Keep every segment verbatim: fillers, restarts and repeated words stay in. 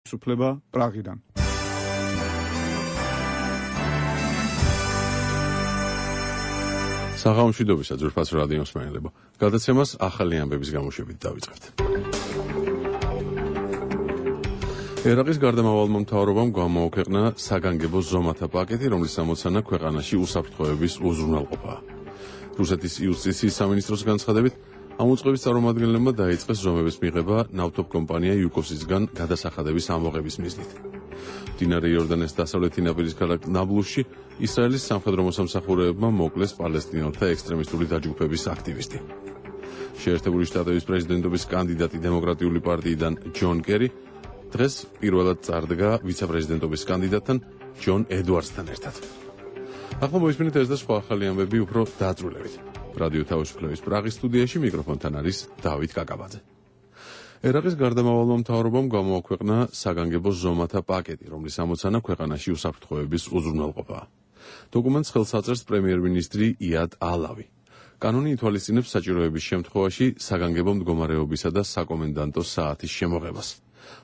სუფლება პრაღიდან. საღამოშვიდობისა ძვირფას რადიოს მსმენელებო. გადაცემას ახალი ამბების გამოშვებით დავიწყებთ. ერაყის გარდამავალმა მთავრობამ გამოაქვეყნა საგანგებო ზომათა პაკეტი, რომლის ამოცანა ქვეყანაში უსაფრთხოების უზრუნველყოფაა. რუსეთის იუსტიციის სამინისტროს განცხადებით, ამ უწყების წარმომადგენლებმა დაიწყეს ზომების მიღება ნავთობ კომპანია იუკოსისგან გადასახადების ამოღების მიზნით. მდინარე იორდანეს დასავლეთი ნაპირის ქალაქ ნაბლუსში ისრაელის სამხედრო მოსამსახურეებმა მოკლეს პალესტინელთა ექსტრემისტული დაჯგუფების აქტივისტი. შეერთებული შტატების პრეზიდენტობის კანდიდატი დემოკრატიული პარტიიდან ჯონ კერი დღეს პირველად წარდგა ვიცე-პრეზიდენტობის კანდიდატთან ჯონ ედვარდსთან ერთად. ახლა მოისმინეთ ეს და სხვა ახალი ამბები უფრო დაწვრილებით. რადიო თავისუფლების პრაღის სტუდიაში მიკროფონთან არის დავით კაკაბაძე. ერაყის გარდამავალმა მთავრობამ გამოაქვეყნა საგანგებო ზომათა პაკეტი, რომლის ამოცანა ქვეყანაში უსაფრთხოების უზრუნველყოფაა. დოკუმენტს ხელს აწერს პრემიერ-მინისტრი იად ალავი. კანონი ითვალისწინებს საჭიროების შემთხვევაში საგანგებო მდგომარეობისა და საკომენდანტო საათის შემოღებას,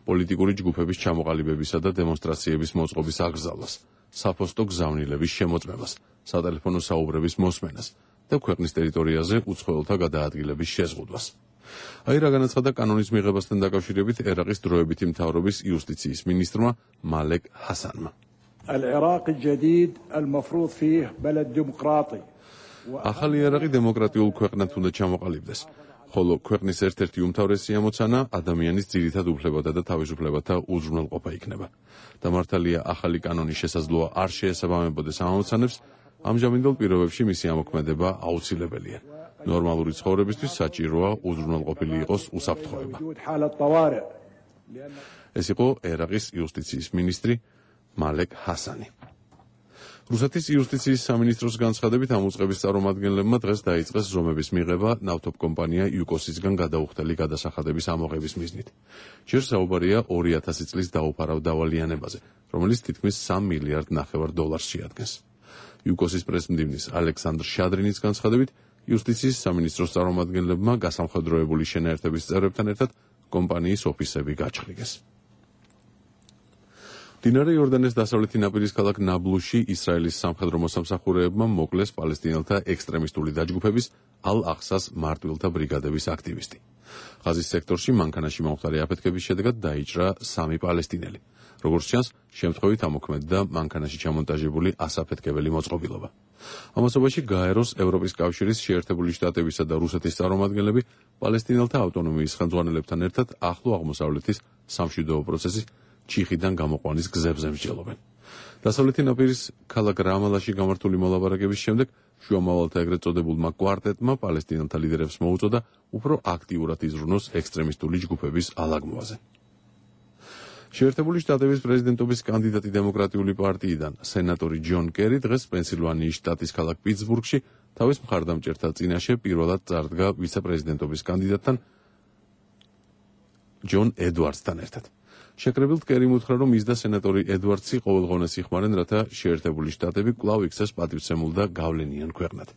პოლიტიკური ჯგუფების ჩამოყალიბებისა და დემონსტრაციების მოწყობის აკრძალვას, საფოსტო გზავნილების შემოწმებას, სატელეფონო საუბრების მოსმენას და ქვეყნის ტერიტორიაზე უცხოელთა გადაადგილების შეზღუდვას. აი რა განაცხადა კანონის მიღებასთან დაკავშირებით ერაყის დროებითი მთავრობის იუსტიციის მინისტრმა მალეკ ჰასანმა. ახალი ერაყი დემოკრატიულ ქვეყნად უნდა ჩამოყალიბდეს, ხოლო ქვეყნის ერთ-ერთი უმთავრესი ამოცანა ადამიანის ძირითად უფლებათა და თავისუფლებათა უზრუნველყოფა იქნება. დამართალია ახალი კანონის შესაძლოა არ შეესაბამებოდეს ამ ამოცანებს, ამჟამინდელ პირობებში მისი ამოქმედება აუცილებელია. ნორმალური ცხოვრებისთვის საჭიროა უზრუნველყოფილი იყოს უსაფრთხოება. ეს იყო ერაყის იუსტიციის მინისტრი მალეკ ჰასანი. რუსეთის იუსტიციის სამინისტროს განცხადებით, ამ უწყების წარმომადგენლებმა დღეს დაიწყეს ზომების მიღება ნავთობ კომპანია იუკოსისგან გადაუხდელი გადასახადების ამოღების მიზნით. ჯერ საუბარია ორი ათასი წლის დაუფარავ დავალიანებაზე, რომელიც თითქმის სამ მილიარდ ნახევარ დოლარს შეადგენს. იუკოსის პრესმდივნის ალექსანდრ შადრინის განცხადებით, იუსტიციის სამინისტროს წარმომადგენლებმა გასამხედროებული შენაერთების წევრებთან ერთად კომპანიის ოფისები გაჩხრიგეს. მდინარე იორდანეს დასავლეთი ნაპირის ქალაქ ნაბლუსში ისრაელის სამხედრო მოსამსახურეებმა მოკლეს პალესტინელთა ექსტრემისტული დაჯგუფების ალ-ახსას მარტვილთა ბრიგადების აქტივისტი. ღაზის სექტორში მანქანაში მომხდარი აფეთქების შედეგად დაიჭრა სამი პალესტინელი. როგორც ჩანს, შემთხვევით ამოქმედდა მანქანაში ჩამონტაჟებული ასაფეთქებელი მოწყობილობა. ამასობაში გაეროს ევროპის კავშირის, შეერთებული შტატებისა და რუსეთის წარმომადგენლები პალესტინელთა ავტონომიის ხელმძღვანელებთან ერთად ახლო აღმოსავლეთის სამშვიდობო პროცესის ჩიხიდან გამოყვანის გზებზე მსჯელობენ. დასავლეთი ნაპირის ქალაქ რამალაში გამართული მოლაპარაკების შემდეგ შუამავალთა ეგრეთ წოდებულმა კვარტეტმა პალესტინელთა ლიდერებს მოუწოდა უფრო აქტიურად იზრუნოს ექსტრემისტული ჯგუფების ალაგმოაზე. შეერთებული შტატების პრეზიდენტობის კანდიდატი დემოკრატიული პარტიიდან სენატორი ჯონ კერი დღეს პენსილვანიის შტატის ქალაქ პიტსბურგში თავის მხარდამჭერთა წინაშე პირველად წარდგა ვიცე-პრეზიდენტობის კანდიდატთან ჯონ ედვარდსთან ერთად. შეკრებილთ კერიმ უთხრა, რომ ის და სენატორი ედვარდსი ყოველღონეს იხმარენ, რათა შეერთებული შტატები კვლავ იქცეს პატივცემულ და გავლენიან ქვეყნად.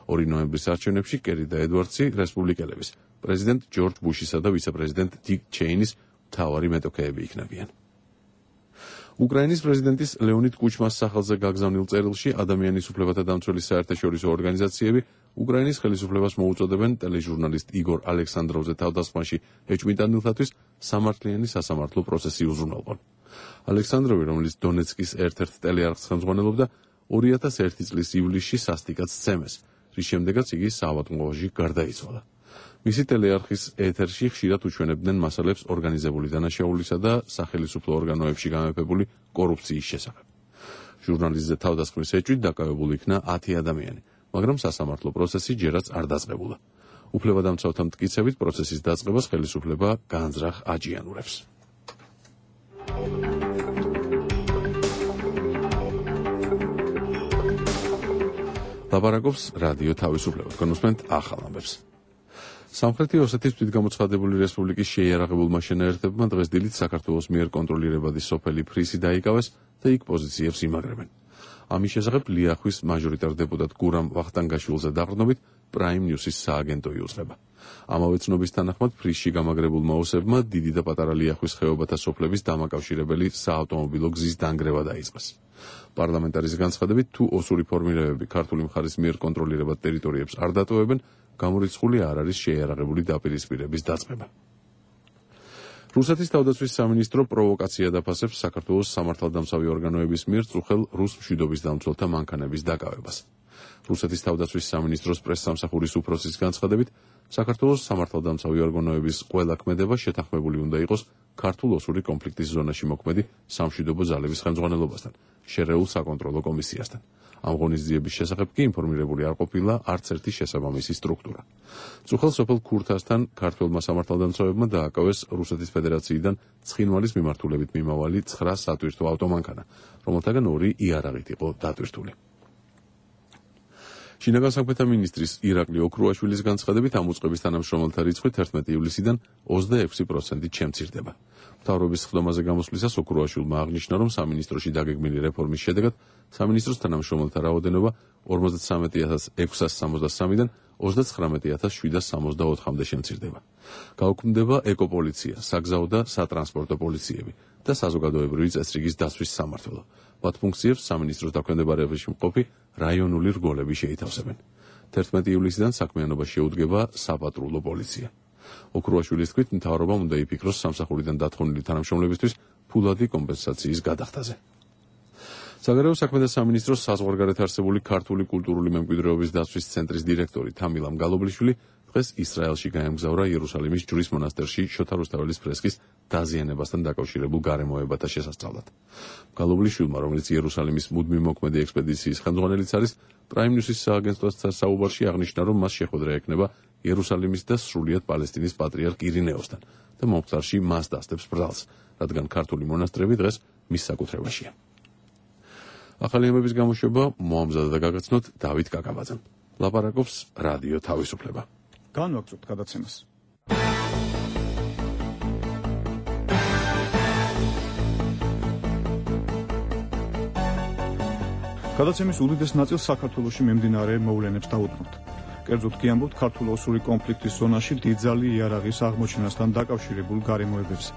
ორი ნოემბრის არჩევნებში კერი და ედვარდსი რესპუბლიკელების, პრეზიდენტ ჯორჯ ბუშისა და ვიცე-პრეზიდენტ დიკ ჩეინის მთავარი მეტოქეები იქნებიან. უკრაინის პრეზიდენტის ლეონიდ კუჩმას სახელზე გაგზავნილ წერილში ადამიანის უფლებათა დამცველი საერთაშორისო ორგანიზაციები უკრაინის ხელისუფლებას მოუწოდებენ ტელეჟურნალისტ იგორ ალექსანდროვზე თავდასხმაში ეჭვმიტანილთათვის სამართლიანი სასამართლო პროცესი უზრუნველყონ. ალექსანდროვი, რომელიც დონეცკის ერთ-ერთ ტელეარხს ხელმძღვანელობდა, ორი ათას ერთი წლის ივლისში სასტიკად სცემეს, რის შემდეგაც იგი საავადმყოფოში გარდაიცვალა. მისი ტელეარხის ეთერში ხშირად უჩვენებდნენ მასალებს ორგანიზებული დანაშაულისა და სახელისუფლო ორგანოებში გამეფებული კორუფციის შესახებ. ჟურნალისტზე თავდასხმის ეჭვით დაკავებული იქნა ათი ადამიანი, მაგრამ სასამართლო პროცესი ჯერაც არ დაწყებულა. უფლებადამცავთა მტკიცებით პროცესის დაწყებას ხელისუფლება განზრახ აჯიანურებს. ლაპარაკობს რადიო თავისუფლება. კონსპენთ ახალ ამბებს. სამხრეთი ოსეთის თვითგამოცხადებული რესპუბლიკის შეიარაღებულმა შენაერთებმა დღეს დილით საქართველოს მიერ კონტროლირებადი სოფელი ფრისი დაიკავეს და იქ პოზიციებს იმაგრებენ. ამის შესახებ ლიახვის მაჟორიტარ დეპუტატ გურამ ვახტანგაშვილზე დაყრდნობით პრაიმ ნიუსის სააგენტო იუწყება. ამავე ცნობის თანახმად ფრისში გამაგრებულმა ოსებმა დიდი და პატარა ლიახვის ხეობათა სოფლების დამაკავშირებელი საავტომობილო გზის დანგრევა დაიწყეს. პარლამენტარის განცხადებით, თუ ოსური ფორმირებები ქართული მხარის მიერ კონტროლირებად ტერიტორიებს არ დატოვებენ, გამორიცხული არ არის შეიარაღებული დაპირისპირების დაწყება. რუსეთის თავდაცვის სამინისტრო პროვოკაცია დაფასებს საქართველოს სამართალდამცავი ორგანოების მიერ წუხელ რუს მშვიდობის დამცველთა მანქანების დაკავებას. რუსეთის თავდაცვის სამინისტროს პრესსამსახურის უფროსის განცხადებით, საქართველოს სამართალდამცავი ორგანოების ყველა ქმედება შეთანხმებული უნდა იყოს ქართულ-ოსური კონფლიქტის ზონაში მოქმედი სამშვიდობო ძალების ხელმძღვანელობასთან, შერეულ საკონტროლო კომისიასთან. ამ ღონისძიების შესახებ კი ინფორმირებული არ ყოფილა არც ერთი შესაბამისი სტრუქტურა. წუხელ სოფელ ქურთასთან ქართველმა სამართალდამცავებმა დააკავეს რუსეთის ფედერაციიდან ცხინვალის მიმართულებით მიმავალი ცხრა სატვირთო ავტომანქანა, რომელთაგან ორი იარაღით იყო დატვირთული. შინაგან საქმეთა მინისტრის ირაკლი ოქრუაშვილის განცხადებით, ამ უწყების თანამშრომელთა რიცხვი თერთმეტი ივლისიდან ოცდაექვსი პროცენტით შემცირდება. მთავრობის სხდომაზე გამოსვლისას ოქრუაშვილმა აღნიშნა, რომ სამინისტროში დაგეგმილი რეფორმის შედეგად სამინისტროს თანამშრომელთა რაოდენობა ორმოცდათვრამეტი ათას ექვსას სამოცდასამიდან ოცდაცხრამეტი ათას შვიდას სამოცდაოთხამდე შემცირდება. გაუქმდება ეკოპოლიცია, საგზაო და სატრანსპორტო პოლიციები და საზოგადოებრივი წესრიგის დაცვის სამმართველო. მათ ფუნქციებს სამინისტროს დაქვემდებარებაში მყოფი რაიონული რგოლები შეითავსებენ. თერთმეტი ივლისიდან საქმიანობაში შეუდგება საპატრულო პოლიცია. ოქრუაშვილის თქმით, მთავრობამ უნდა იფიქროს სამსახურიდან დათხოვნილი თანამშრომლებისთვის ფულადი კომპენსაციის გადახდაზე. საგარეო საქმეთა სამინისტროს საზღვარგარეთ არსებული ქართული კულტურული მემკვიდრეობის დაცვის ცენტრის დირექტორი თამილამ გალობლიშვილი დღეს ისრაელში გაემგზავრა იერუსალიმის ჯვრის მონასტერში შოთა რუსთაველის ფრესკის დაზიანებასთან დაკავშირებულ გარემოებათა შესასწავლად. გალობლიშვილმა, რომელიც იერუსალიმის მუდმივ მოქმედი ექსპედიციის ხელმძღვანელიც არის, პრაიმ ნიუსის სააგენტოსთან საუბარში აღნიშნა, რომ მას შეხვედრა ექნება იერუსალიმის და სრულიად პალესტინის პატრიარქ ირინეოსთან და მომხდარში მას დასდებს ბრალს, რადგან ქართული მონასტრები დღეს მის საკუთრებაშია. ახალი ამბების გამოშვება მოამზადა და გაგაცნოთ დავით კაკაბაძემ. ლაპარაკობს რადიო თავისუფლება. განვაგრძობთ გადაცემას. გადაცემის უდიდეს ნაწილს საქართველოში მიმდინარე მოვლენებს დავუდგმოთ. კერძოდ კი ამბობთ ქართულ-ოსური კონფლიქტის ზონაში დიდძალი იარაღის აღმოჩენასთან დაკავშირებულ გარემოებებზე.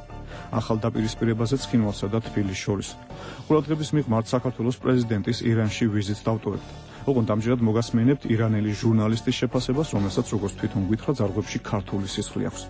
ახალ დაპირისპირებაზე ცხინვალსა და თბილისს შორის. ყურადღების მიღმართ საქართველოს პრეზიდენტის ირანში ვიზიტს დავტოვებთ. ოღონდ ამჯერად მოგასმენებთ ირანელი ჟურნალისტის შეფასებას, რომელსაც როგორც თვითონ გითხრა, ძარღვებში ქართული სისხლი აქვს.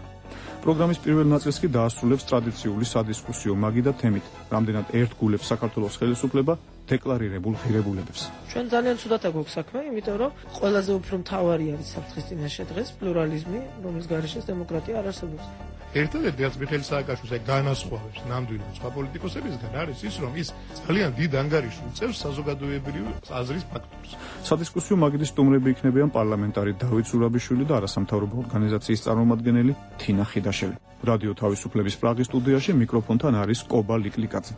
პროგრამის პირველ ნაწილს კი დაასრულებს ტრადიციული სადისკუსიო მაგი და თემით, რამდენად ერთგულებს საქართველოს ხელისუფლება დეკლარირებულ ღირებულებებს. ჩვენ ძალიან ცუდად აქვს საქმე, იმიტომ რომ ყველაზე უფრო მთავარი არის საფრთხის წინაშე დღეს პლურალიზმი, რომლის გარეშეც დემოკრატია არ არსებობს. ერთადერთი რაც მიხეილ სააკაშვილს აი განასხვავებს ნამდვილად სხვა პოლიტიკოსებისგან არის ის, რომ ის ძალიან დიდ ანგარიშს უწევს საზოგადოებრივი აზრის ფაქტორს. სადისკუსიო მაგიდის სტუმრები იქნებიან პარლამენტარი დავით ზურაბიშვილი და არასამთავრობო ორგანიზაციის წარმომადგენელი თინა ხიდაშელი. რადიო თავისუფლების პრაღის სტუდიაში მიკროფონთან არის კობა ლიკლიკაძე.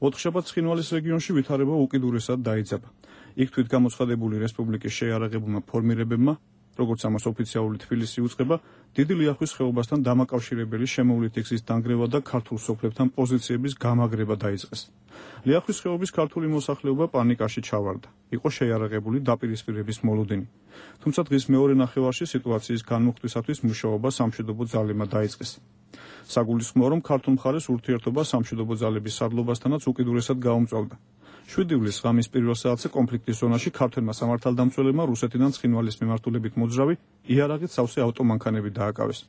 ოთხშაბათს ცხინვალის რეგიონში ვითარება უკიდურესად დაიძაბა. იქ თვით გამოცხადებული რესპუბლიკის შეიარაღებულმა ფორმირებებმა, როგორც ამას ოფიციალური თბილისი უწყება, დიდი ლიახვის ხეობასთან დამაკავშირებელი შემოვლითი გზის დანგრევა და ქართულ სოფლებთან პოზიციების გამაგრება დაიწყეს. ლიახვის ხეობის ქართული მოსახლეობა პანიკაში ჩავარდა. იყო შეიარაღებული დაპირისპირების მოლოდინი. თუმცა დღის მეორე ნახევარში სიტუაციის განმუხტვისათვის მუშაობა სამშვიდობო ძალებმა დაიწყეს. საგულისხმოა, რომ ქართულ მხარეს ურთიერთობა სამშვიდობო ძალების სარდლობასთანაც უკიდურესად გაუმწვავდა. შვიდი ივლისს ღამის პირველ საათზე კონფლიქტის ზონაში ქართველმა სამართალდამცველებმა რუსეთიდან ცხინვალის მიმართულებით მოძრავი იარაღით სავსე ავტომანქანები დააკავეს.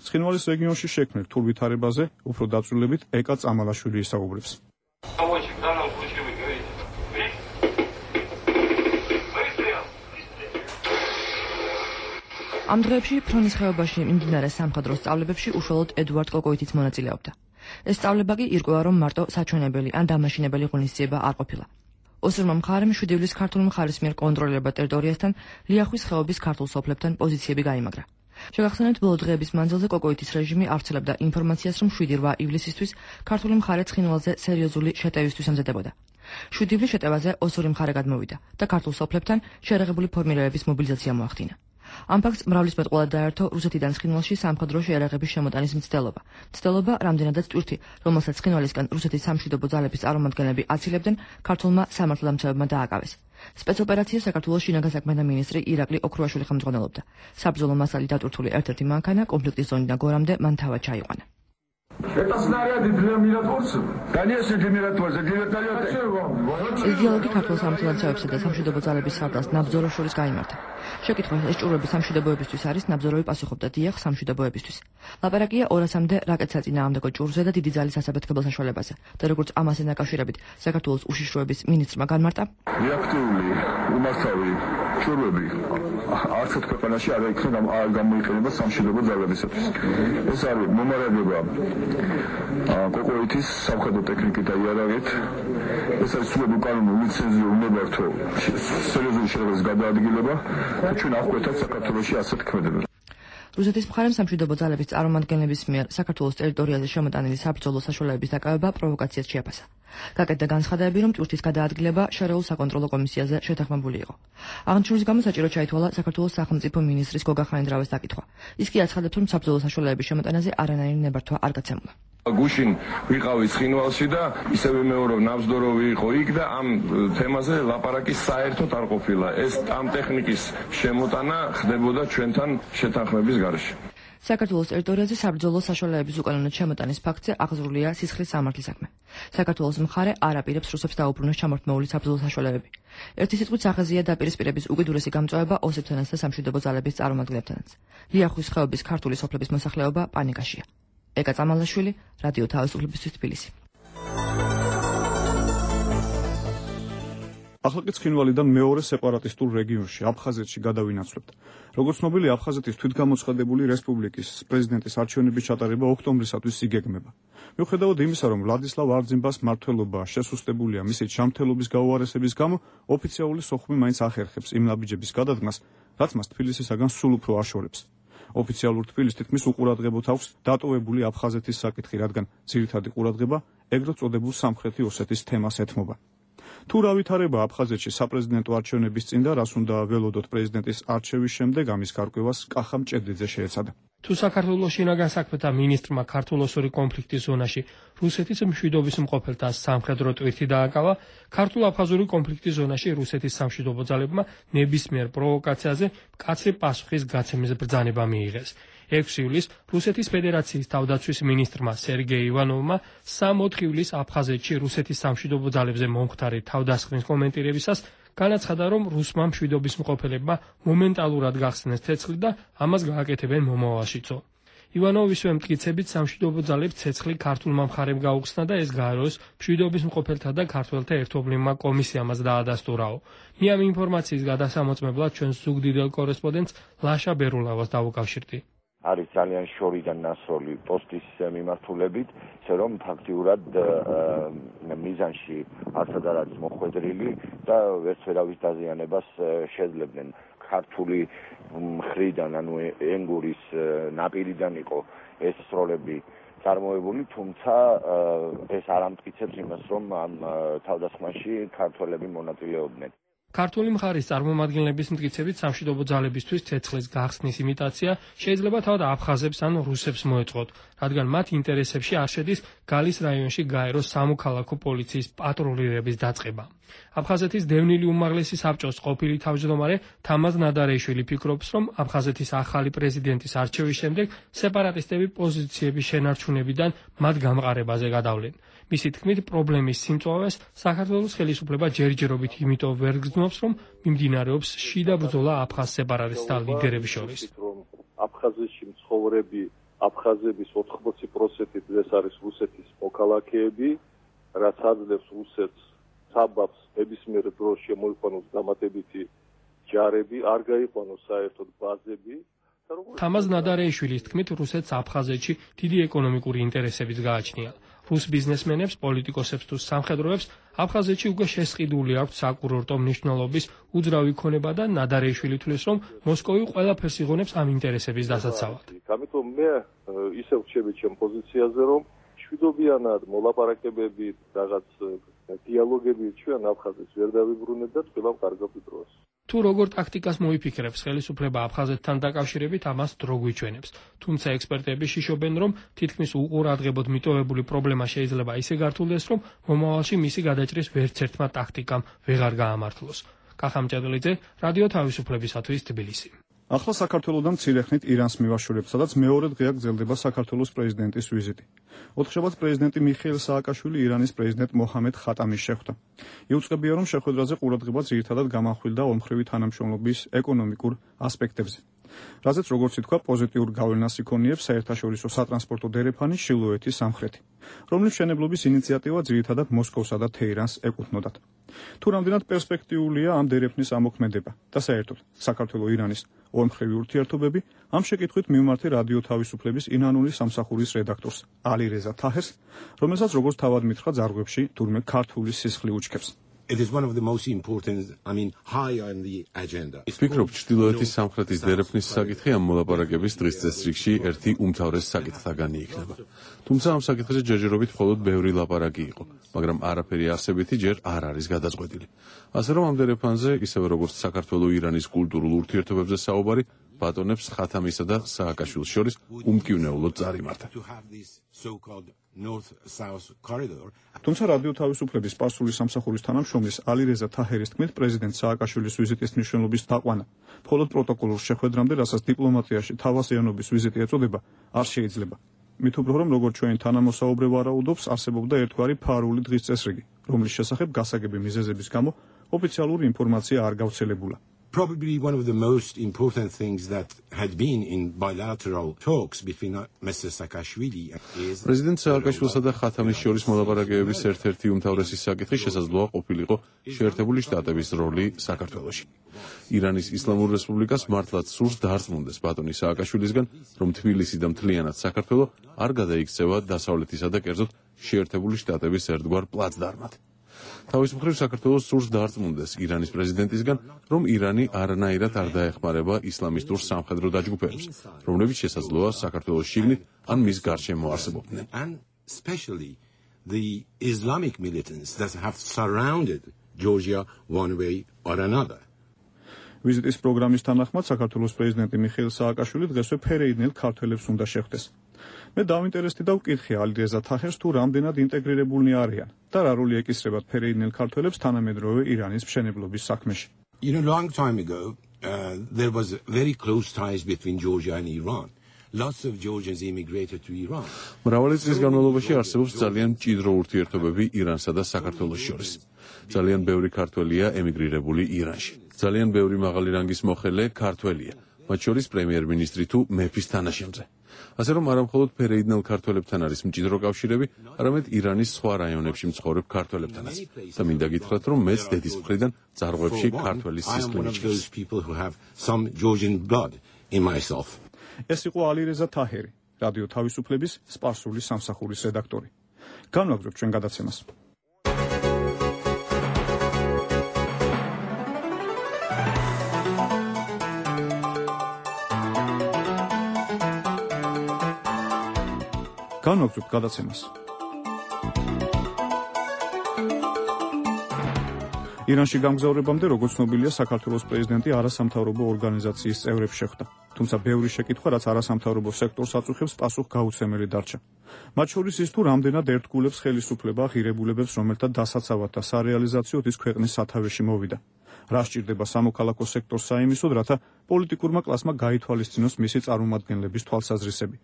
ცხინვალის რეგიონში შექმნილ რთულ ვითარებაზე უფრო დაწვრილებით ეკა წამალაშვილი ისაუბრებს. ამ დღეებში ფრონის ხეობაში მიმდინარე სამხედრო სწავლებებში უშუალოდ ედუარდ კოკოიტიც მონაწილეობდა. ეს სწავლება კი ირკვევა, რომ მარტო საჩვენებელი ან დამაშინებელი ღონისძიება არ ყოფილა. ოსურმა მხარემ შვიდი ივლისს ქართული მხარის მიერ კონტროლირებად ტერიტორიასთან ლიახვის ხეობის ქართულ სოფლებთან პოზიციები გაიმაგრა. შეგახსენებთ, ბოლო დღეების მანძილზე კოკოიტის რეჟიმი ავრცელებდა ინფორმაციას, რომ შვიდი რვა ივლისისთვის ქართული მხარე ცხინვალზე სერიოზული შეტევისთვის ამზადებოდა. შვიდი ივლის შეტევაზე ოსური მხარე გადმოვიდა და ქართულ სოფლებთან შეიარაღებული ფორმირებების მობილიზაცია მოახდინა. ამ ფაქტს მრავლის მეტყველად დაერთო რუსეთიდან ცხინვალში სამხედრო შეიარაღების შემოტანის მცდელობა. მცდელობა რამდენადაც ტვირთი, რომელსაც ცხინვალისგან რუსეთის სამშვიდობო ძალების წარმომადგენლები აცილებდნენ, ქართულმა სამართალდამცავებმა დააკავეს. სპეცოპერაციას საქართველოს შინაგან საქმეთა მინისტრი ირაკლი ოქრუაშვილი ხელმძღვანელობდა. საბრძოლო მასალი დატვირთული ერთ-ერთი მანქანა კონფლიქტის ზონიდან გორამდე მან თავად ჩაიყვანა. Это снаряды для миротворцев? Конечно, для миротворцев, для вертолета. ეს დიალოგი ქართულ სამართალდამცავებსა და სამშვიდობო ძალების სარდალს ნაბრძოლებს შორის გაიმართა. შეკითხვა ეს ჭურვები სამშვიდობოებისთვის არის, ნაბრძოლები პასუხობდა დიახ სამშვიდობოებისთვის. ლაპარაკია ორასამდე რაკეტსაწინააღმდეგო ჭურვზე და დიდი ძალის ასაფეთქებელ საშუალებაზე. და როგორც ამასთან დაკავშირებით საქართველოს უშიშროების მინისტრმა განმარტა, რეაქტიული უმართავი ჭურვები არცერთ ქვეყანაში არ იქნება არ გამოიყენება სამშვიდობო ძალებისათვის. ეს არის მომარაგება კოკოეთის სამხედრო ტექნიკით და იარაღით. ეს არის სრულად უკანონო ლიცენზია უნებართო სერიოზული შედეგის გადაადგილება და ჩვენ აღკვეთად საქართველოში ასეთ ქმედებებს. რუსეთის მხარემ სამშვიდობო ძალების წარმომადგენლების მიერ საქართველოს ტერიტორიაზე შემოტანილი საბრძოლო საშუალებების დაკავება პროვოკაციად შეაფასა. გაკეთდა განცხადებები, რომ ტვირთის გადაადგილება შერეულ საკონტროლო კომისიაზე შეთანხმებული იყო. აღნიშნულის გამო საჭირო ჩაითვალა საქართველოს სახელმწიფო მინისტრის გოგა ხანიდრავის დაკითხვა. ის კი აცხადებს, რომ საბრძოლო საშუალებების შემოტანაზე არანაირი ნებართვა არ გაცემულა. გუშინ ვიყავი ცხინვალში და ისევე მეორე ნაბრძოლები იყო იქ და ამ თემაზე ლაპარაკი საერთოდ არ ყოფილა. ეს ამ ტექნიკის შემოტანა ხდებოდა ჩვენთან შეთანხმების გარეშე. საქართველოს ტერიტორიაზე საბრძოლო საშუალებების უკანონო შემოტანის ფაქტზე აღზრულია სისხლის სამართლის საქმე. საქართველოს მხარე არ აპირებს რუსებს დაუბრუნოს ჩამორთმეული საბრძოლო საშუალებები. ერთი სიტყვით სახაზია დაპირისპირების უკიდურესი გამწვავება ოსებთანაც და სამშვიდობო ძალების წარმომადგენლებთანაც. ლიახვის ხეობის ქართული სოფლების მოსახლეობა პანიკაშია. ეკა წამალაშვილი, რადიო თავისუფლებისთვის თბილისი. ახლა კი ცხინვალიდან მეორე სეპარატისტულ რეგიონში, აფხაზეთში გადავინაცვლებთ. როგორც ცნობილი, აფხაზეთის თვითგამოცხადებული რესპუბლიკის პრეზიდენტის არჩევნების ჩატარება ოქტომბრისათვის იგეგმება. მიუხედავად იმისა, რომ ვლადისლავ არძიმბას მმართველობა შესუსტებულია მისი ჯანმრთელობის გაუარესების გამო, ოფიციალური სოხუმი მაინც ახერხებს იმ ნაბიჯების გადადგმას, რაც მას თბილისისაგან სულ უფრო აშორებს. ოფიციალურ თბილისს თითქმის უყურადღებოთ აქვს დატოვებული აფხაზეთის საკითხი, რადგან ძირითადი ყურადღება ეგრეთ წოდებულ სამხრეთი ოსეთის თემას ეთმობა. თუ რა ვითარება აფხაზეთში საპრეზიდენტო არჩევნების წინ და რას უნდა ველოდოთ პრეზიდენტის არჩევის შემდეგ, ამის გარკვევას კახა მჭედლიძე შეეცადა. თუ საქართველოს შინაგან საქმეთა მინისტრმა ქართულ-ოსური კონფლიქტის ზონაში რუსეთის მშვიდობის მყოფელთა სამხედრო ტვირთი დააკავა, ქართულ-აფხაზური კონფლიქტის ზონაში რუსეთის სამშვიდობო ძალებმა ნებისმიერ პროვოკაციაზე მკაცრი პასუხის გაცემის ბრძანება მიიღეს. ექვსი ივლისს რუსეთის ფედერაციის თავდაცვის მინისტრმა სერგეი ივანოვმა სამოთხი ივლისს აფხაზეთში რუსეთის სამშვიდობო ძალებზე მომხდარი თავდასხმის კომენტირებისას განაცხადა, რომ რუსმა მშვიდობის მყოფელებმა მომენტალურად გახსნეს ცეცხლი და ამას გააკეთებენ მომავალშიცო. ივანოვისვე მტკიცებით სამშვიდობო ძალებს ცეცხლი ქართულმა მხარემ გაუხსნა და ეს გაეროს მშვიდობის მყოფელთა და ქართველთა ერთობლივმა კომისიამაც დაადასტურაო. მე ამ ინფორმაციის გადასამოწმებლად ჩვენს ზუგდიდელ კორესპონდენტს ლაშა ბერულავას დავუკავშირდი. არის ძალიან შორიდან ნასროლი პოსტის მიმართულებით, ისე რომ ფაქტიურად მიზანში არცად არ არის მოხვედრილი და ვერც ვერავის დაზიანებას შეძლებდნენ. ქართული მხრიდან, ანუ ენგურის ნაპირიდან იყო ეს სროლები წარმოებული, თუმცა ეს არ ამტკიცებს იმას, რომ ამ თავდასხმაში ქართველები მონაწილეობდნენ. ქართული მხარის წარმომადგენლების მტკიცებით სამშვიდობო ძალებისთვის ცეცხლის გახსნის იმიტაცია შეიძლება თავად აფხაზებს ან რუსებს მოეწყოთ, რადგან მათ ინტერესებში არ შედის გალის რაიონში გაეროს სამოქალაქო პოლიციის პატრულირების დაწყება. აფხაზეთის დევნილი უმაღლესი საბჭოს ყოფილი თავმჯდომარე თამაზ ნადარეიშვილი ფიქრობს, რომ აფხაზეთის ახალი პრეზიდენტის არჩევის შემდეგ სეპარატისტები პოზიციების შენარჩუნებიდან მათ გამყარებაზე გადავლენ. მისი თქმით, პრობლემის სიმწვავეს საქართველოს ხელისუფლება ჯერჯერობით იმიტომ ვერ გრძნობს, რომ მიმდინარეობს შიდა ბრძოლა აფხაზ სეპარატისტთა ლიდერების შორის. აფხაზეთში მცხოვრები აფხაზების ოთხმოცი პროცენტით ეს არის რუსეთის მოქალაქეები, რაც აძლევს რუსეთს საბაბს ნებისმიერ დროს შემოიყვანოს დამატებითი ჯარები, არ გაიყვანოს საერთოდ ბაზები. თამაზ ნადარეიშვილის თქმით, რუსეთს აფხაზეთში დიდი ეკონომიკური ინტერესებიც გააჩნია. რუს ბიზნესმენებს, პოლიტიკოსებს თუ სამხედროებს აფხაზეთში უკვე შესყიდული აქვთ საკურორტო მნიშვნელობის უძრავი ქონება და ნადარეიშვილი თვლის, რომ მოსკოვი ყველაფერს იღონებს ამ ინტერესების დასაცავად. ამიტომ მე ისევ ვჩები ჩემ პოზიციაზე, რომ მშვიდობიანად მოლაპარაკებები, რაღაც დიალოგები ჩვენ აფხაზეთს ვერ დავიბრუნებთ და თქვილავ კარგ დროს. თუ როგორ ტაქტიკას მოიფიქრებს ხელისუფლება აფხაზეთთან დაკავშირებით, ამას დრო გვიჩვენებს. თუმცა ექსპერტები შიშობენ, რომ თითქმის უყურადღებოდ მიტოვებული პრობლემა შეიძლება ისე გართულდეს, რომ მომავალში მისი გადაჭრის ვერც ერთმა ტაქტიკამ ვეღარ გაამართლოს. კახამჭედლიძე, რადიო თავისუფლებისათვის თბილისი. ახლა საქართველოსთან მცირეხნით ირანს მივაშორებთ, სადაც მეორე დღეა გრძელდება საქართველოს პრეზიდენტის ვიზიტი. ოთხშაბათს პრეზიდენტი მიხეილ სააკაშვილი ირანის პრეზიდენტ მოჰამედ ხატამის შეხვდა. იუწყებია, რომ შეხვედრაზე ყურადღება ძირითადად გამახვილდა ორმხრივი თანამშრომლობის ეკონომიკურ ასპექტებზე. რაზეც როგორც ითქვა, პოზიტიურ გავლენას იქონიებს საერთაშორისო სატრანსპორტო დერეფანი შილოეთის სამხრეთი, რომლის მშენებლობის ინიციატივა ძირითადად მოსკოვსა და თეირანს ეკუთვნოდათ. თუ რამდენად პერსპექტიულია ამ დერეფნის ამოქმედება და საერთოდ საქართველო-ირანის ორმხრივი ურთიერთობები, ამ შეკითხვით მივმართე რადიო თავისუფლების ინანული სამსახურის რედაქტორს ალი რეზა თაჰერს, რომელსაც როგორც თავად მითხრა ძარღვებში თურმე ქართული სისხლი უჩქებს. It is one of the most important, I mean, high on the agenda. ვფიქრობ, ჩრდილოეთის სამხრეთის დერეფნის საკითხი ამ მოლაპარაკების დღის წესრიგში ერთი უმთავრეს საკითხთაგანი იქნება. თუმცა ამ საკითხზე ჯერჯერობით მხოლოდ ბევრი ლაპარაკი იყო, მაგრამ არაფერი არსებითი ჯერ არ არის გადაწყვეტილი. ასე რომ ამ დერეფანზე, ისევე როგორც საქართველო-ირანის კულტურულ ურთიერთობებზე საუბარი, ბატონებს ხათამისა და სააკაშვილის შორის უმკივნეულოდ წარიმართა. თუმცა რადიო თავისუფლების სპარსული სამსახურის თანამშრომლის ალი რეზა თაჰერის თქმით, პრეზიდენტ სააკაშვილის ვიზიტის მნიშვნელობის დაყვანა მხოლოდ პროტოკოლურ შეხვედრამდე, რასაც დიპლომატიაში თავასიანობის ვიზიტი ეწოდება, არ შეიძლება. მით უფრო რომ როგორც ჩვენ თანამოსაუბრე ვარაუდობს, არსებობდა ერთგვარი ფარული დღის წესრიგი, რომლის შესახებ გასაგები მიზეზების გამო ოფიციალური ინფორმაცია არ გავრცელებულა. Probably one of the most important things that had been in bilateral talks between Mister Saakashvili is President Saakashvilsა და ხათამის შორის მოლაპარაკებების ერთ-ერთი უმთავრესი საკითხი შესაძლოა ყოფილიყო შეერთებული შტატების როლი საქართველოში. ირანის ისლამურ რესპუბლიკას მართლაც სურს დაარწმუნდეს ბატონი სააკაშვილისგან, რომ თბილისი და მთლიანად საქართველო არ გადაიქცევა დასავლეთისა და კერძოდ შეერთებული შტატების ერთგვარ პლაცდარმად. თავის მხრივ საქართველოს სურს დაარწმუნდეს ირანის პრეზიდენტისგან, რომ ირანი არანაირად არ დაეხმარება ისლამისტურ სამხედრო დაჯგუფებებს, რომლებიც შესაძლოა საქართველოს შიგნით ან მის გარშემო არსებობდნენ. And especially the Islamic militants that have surrounded Georgia one way or another. ვიზიტის პროგრამის თანახმად საქართველოს პრეზიდენტი მიხეილ სააკაშვილი დღესვე ფერეიდნელ ქართველებს უნდა შეხვდეს. მე დავინტერესდი და ვკითხე ალი რეზა თაჰერს, თუ რამდენად ინტეგრირებულნი არიან და რა როლი ეკისრებათ ფერეიდნელ ქართველებს თანამედროვე ირანის მშენებლობის საქმეში. You know, long time ago, uh, there was very close ties between Georgia and Iran. Lots of Georgians immigrated to Iran. მრავალი წლის განმავლობაში არსებობს ძალიან მჭიდრო ურთიერთობები ირანსა და საქართველოს შორის. ძალიან ბევრი ქართველია ემიგრირებული ირანში. ძალიან ბევრი მაღალი რანგის მოხელე ქართველია, მათ შორის პრემიერ-მინისტრი თუ მეფის თანაშემწე. ასე რომ არა მხოლოდ ფერეიდნელ ქართველებთან არის მჭიდრო კავშირები, არამედ ირანის სხვა რაიონებში მცხოვრებ ქართველებთანაც. და მინდა გითხრათ, რომ მეც დედის მხრიდან ძარღვებში ქართველის სისხლი მიჩნევს. ეს იყო ალი რეზა თაჰერი, რადიო თავისუფლების სპარსული სამსახურის რედაქტორი. განვაგრძობთ ჩვენ გადაცემას. განვაგრძობთ გადაცემას. ირანში გამგზავრებამდე, როგორც ცნობილია, საქართველოს პრეზიდენტი არასამთავრობო ორგანიზაციის წევრებს შეხვდა. თუმცა ბევრი შეკითხვა, რაც არასამთავრობო სექტორს აწუხებს, პასუხგაუცემელი დარჩა. მათ შორის ის, თუ რამდენად ერთგულებს ხელისუფლება ღირებულებებს, რომელთა დასაცავად და სარეალიზაციოდ ის ქვეყნის სათავეში მოვიდა. რა სჭირდება სამოქალაქო სექტორს საიმისოდ, რათა პოლიტიკურმა კლასმა გაითვალისწინოს მისი წარმომადგენლების თვალსაზრისები.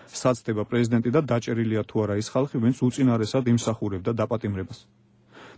საცდება პრეზიდენტი და დაჭერილია თუ არა ის ხალხი, ვინც უწინარესად იმსახურებდა დაპატიმრებას.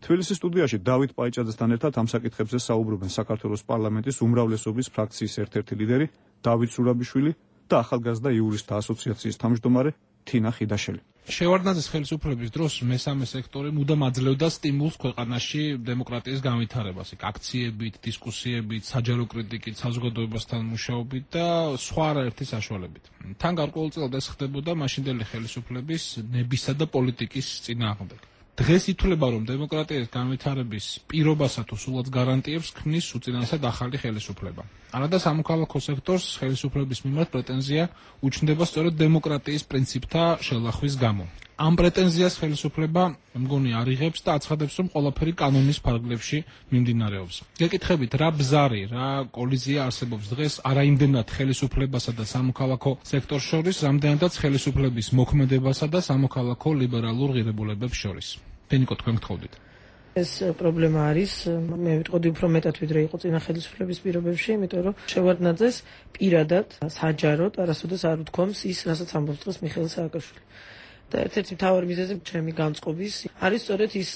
თბილისის სტუდიაში დავით პაიჭაძესთან ერთად ამ საკითხებზე საუბრობენ საქართველოს პარლამენტის უმრავლესობის ფრაქციის ერთ-ერთი ლიდერი დავით სურაბიშვილი და ახალგაზრდა იურისტთა ასოციაციის თავმჯდომარე თინა ხიდაშელი. შევარდნაძის ხელისუფლების დროს მესამე სექტორი მუდამ აძლევდა სტიმულს ქვეყანაში დემოკრატიის განვითარებას, აქციებით, დისკუსიებით, საჯარო კრიტიკით, საზოგადოებასთან მუშაობით და სხვა არაერთი საშუალებით. თან გარკვეულწილად ეს ხდებოდა მაშინდელი ხელისუფლების ნებისა და პოლიტიკის წინააღმდეგ. დღეს ითვლება, რომ დემოკრატიის განვითარების პირობასა თუ სულაც გარანტიებს ქმნის უწინარესად ახალი ხელისუფლება. არადა სამოქალაქო სექტორს ხელისუფლების მიმართ პრეტენზია უჩნდება სწორედ დემოკრატიის პრინციპთა შელახვის გამო. ამ პრეტენზიას ხელისუფლება მგონი არიღებს და აცხადებს, რომ ყველაფერი კანონის ფარგლებში მიმდინარეობს. გეკითხებით, რა ბზარი, რა კოლიზია არსებობს დღეს არაიმდენად ხელისუფლებასა და სამოქალაქო სექტორს შორის, რამდენადაც ხელისუფლების მოქმედებასა და სამოქალაქო ლიბერალურ ღირებულებებს შორის. ფენიკო, თქვენ გთხოვდით. ეს პრობლემა არის, მე ვიტყოდი უფრო მეტად ვიდრე იყო წინა ხელისუფლების პირობებში, იმიტომ რომ შევარდნაძეს პირადად საჯაროდ არასოდეს არ უთქვამს ის, რასაც ამბობს დღეს მიხეილ სააკაშვილი. და ერთ-ერთი მთავარი მიზეზი ჩემი განწყობის არის სწორედ ის